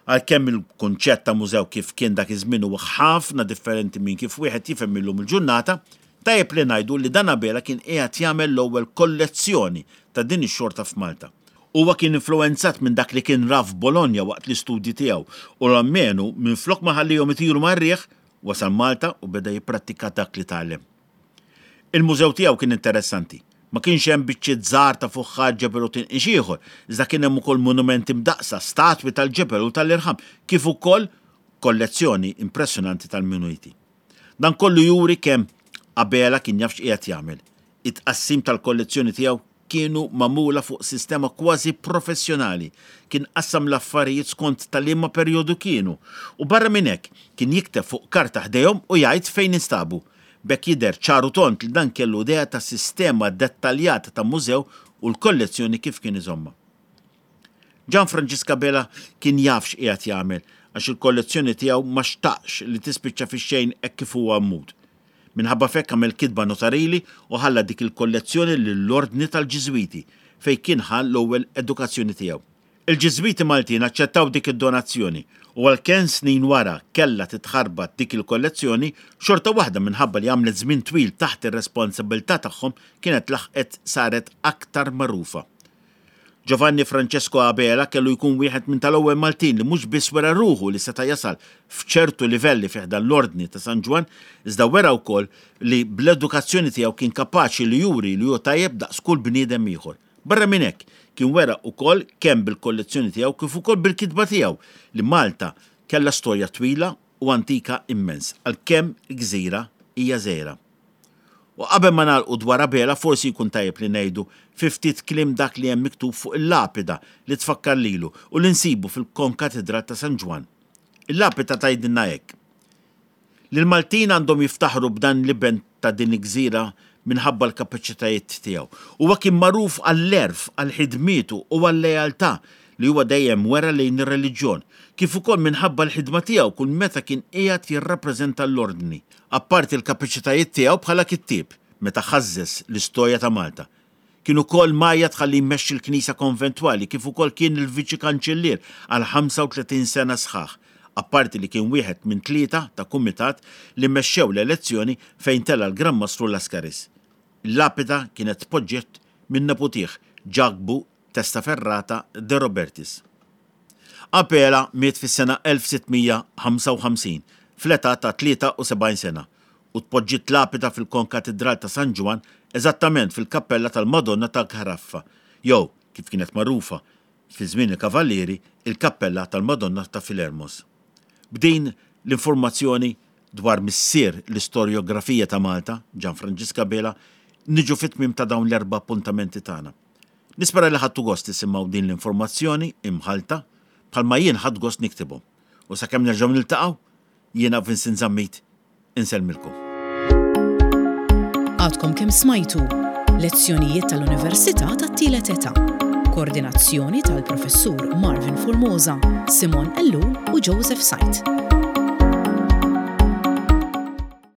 Għalkemm il-kunċett ta' mużew kif kien dak iż-żmien huwa ħafna differenti minn kif wieħed jifhem illum il-ġurnata, tajjeb li ngħidu li dan Abela kien qiegħed jagħmel l-ewwel kollezzjoni ta' din ix-xorta f'Malta. Huwa kien influwenzat minn dak li kien ra f'Bologna waqt l-istudji tiegħu u almenu minflok ma ħallihom itiru mar-riħ, wasal Malta u beda jipprattika dak li tgħallem. Il-mużew tiegħu kien interessanti. Ma kienx hemm biċċiet żgħar ta' fuħħar, ġebel u tinqix ieħor, iżda kien hemm ukoll monumenti mdaqqsa, statwi tal-ġebel u tal-irħam, kif ukoll kollezzjoni impressjonanti tal-muniti. Dan kollu juri kemm Abela kien jaf x'qiegħed jagħmel. It-tqassim tal-kollezzjoni tiegħu kienu magħmula fuq sistema kważi professjonali, kien qassam l-affarijiet skont ta' liema perjodu kienu, u barra minn hekk, kien jikteb fuq karta ħdejhom u jgħid fejn instabu. B'hekk jidher ċar u tond li dan kellu idea ta' sistema dettaljata ta' mużew u l-kollezzjoni kif kien iżommha. Ġan Franġisk Abela kien jaf x'qiegħed jagħmel għax il-kollezzjoni tiegħu ma xtaqx li tispiċċa fix-xejn hekk kif huwa mmut. Minħabba f'hekk għamel kitba notarili u ħalla dik il-kollezzjoni lill-Ordni tal-Ġiżwiti, fejn kien ħa l-ewwel edukazzjoni tiegħu. Il-Ġiżwiti Maltin aċċettaw dik id-donazzjoni u għalkemm snin wara kellha titħarbat dik il-kollezzjoni, xorta waħda minħabba li għamlet żmien twil taħt ir-responsabbiltà tagħhom kienet laħqet saret aktar magħrufa. Giovanni Francesco Abela kellu jkun wieħed minn tal-ewwel Maltin li mhux biss wera ruħu li seta' jasal f'ċertu livelli fi ħdan l-Ordni ta' San Ġwann, iżda wera wkoll li bl-edukazzjoni tiegħu kien kapaċi li juri li hu tajjeb daqs kull bniedem ieħor. Barra minn hekk, kien wera wkoll kemm bil-kollezzjoni tiegħu kif ukoll bil-kitba tiegħu li Malta kellha storja twila u antika immens, għalkemm il-gżira hija żgħira. U qabel ma nagħlqu dwar Abela forsi jkun tajjeb li ngħidu fi ftit kliem dak li hemm miktub fuq il-lapida li tfakkar lilu u li nsibu fil-Konkatidral ta' San Ġwann. Il-lapida tgħidilna hekk, Li l-Maltin għandhom jiftaħru b'dan l-iben ta' din il-gżira minħabba l-kapaċitajiet tiegħu. Huwa kien magħruf għall-għerf, għal ħidmietu u għal-lealtà li huwa dejjem wera lejn ir-reliġjon, kif ukoll minħabba l-ħidma tiegħu kull meta kien qiegħed jirrappreżenta l-Ordni. Apparti l-kapaċitajiet tiegħu bħala kittieb, meta ħażżeż l-istorja ta' Malta. Kien ukoll mgħajjat ħalli jmexxi l-Knisja Konventwali kif ukoll kien il-Viċi Kanċillier għal 35 sena sħaħ, apparti li kien wieħed minn tlieta ta' kumitat li mexxew l-elezzjoni fejn tela' l-Gran Mastru Lascaris. Il-lapida kienet tpoġġiet minn neputih, Ġakbu Testaferrata de Robertis. Apela miet fis-sena 1655 fl-età ta' 73 sena u tpoġġiet lapida fil-Konkatidral ta' San Ġwann eżattament fil-kappella tal-Madonna ta' Caraffa jew, kif kienet magħrufa fi żmien il-Kavallieri, il-kappella tal-Madonna ta' Filermos. B'din l-informazzjoni dwar missier l-istorjografija ta' Malta, Ġan Franġisk Abela, niġu fit-tmiem ta' dawn l-erba' appuntamenti tagħna. Nispera li ħadtu gost tisimgħu din l-informazzjoni imħallta bħalma jien ħadt gost niktibhom. U sakemm nerġgħu niltaqgħu, jiena Vincent Zammit insellmilkom. Għadkom kemm smajtu Lezzjonijiet tal-Università tat-Tielet Età. Koordinazzjoni tal-Professur Marvin Formosa, Simon Ellul u Joseph Said.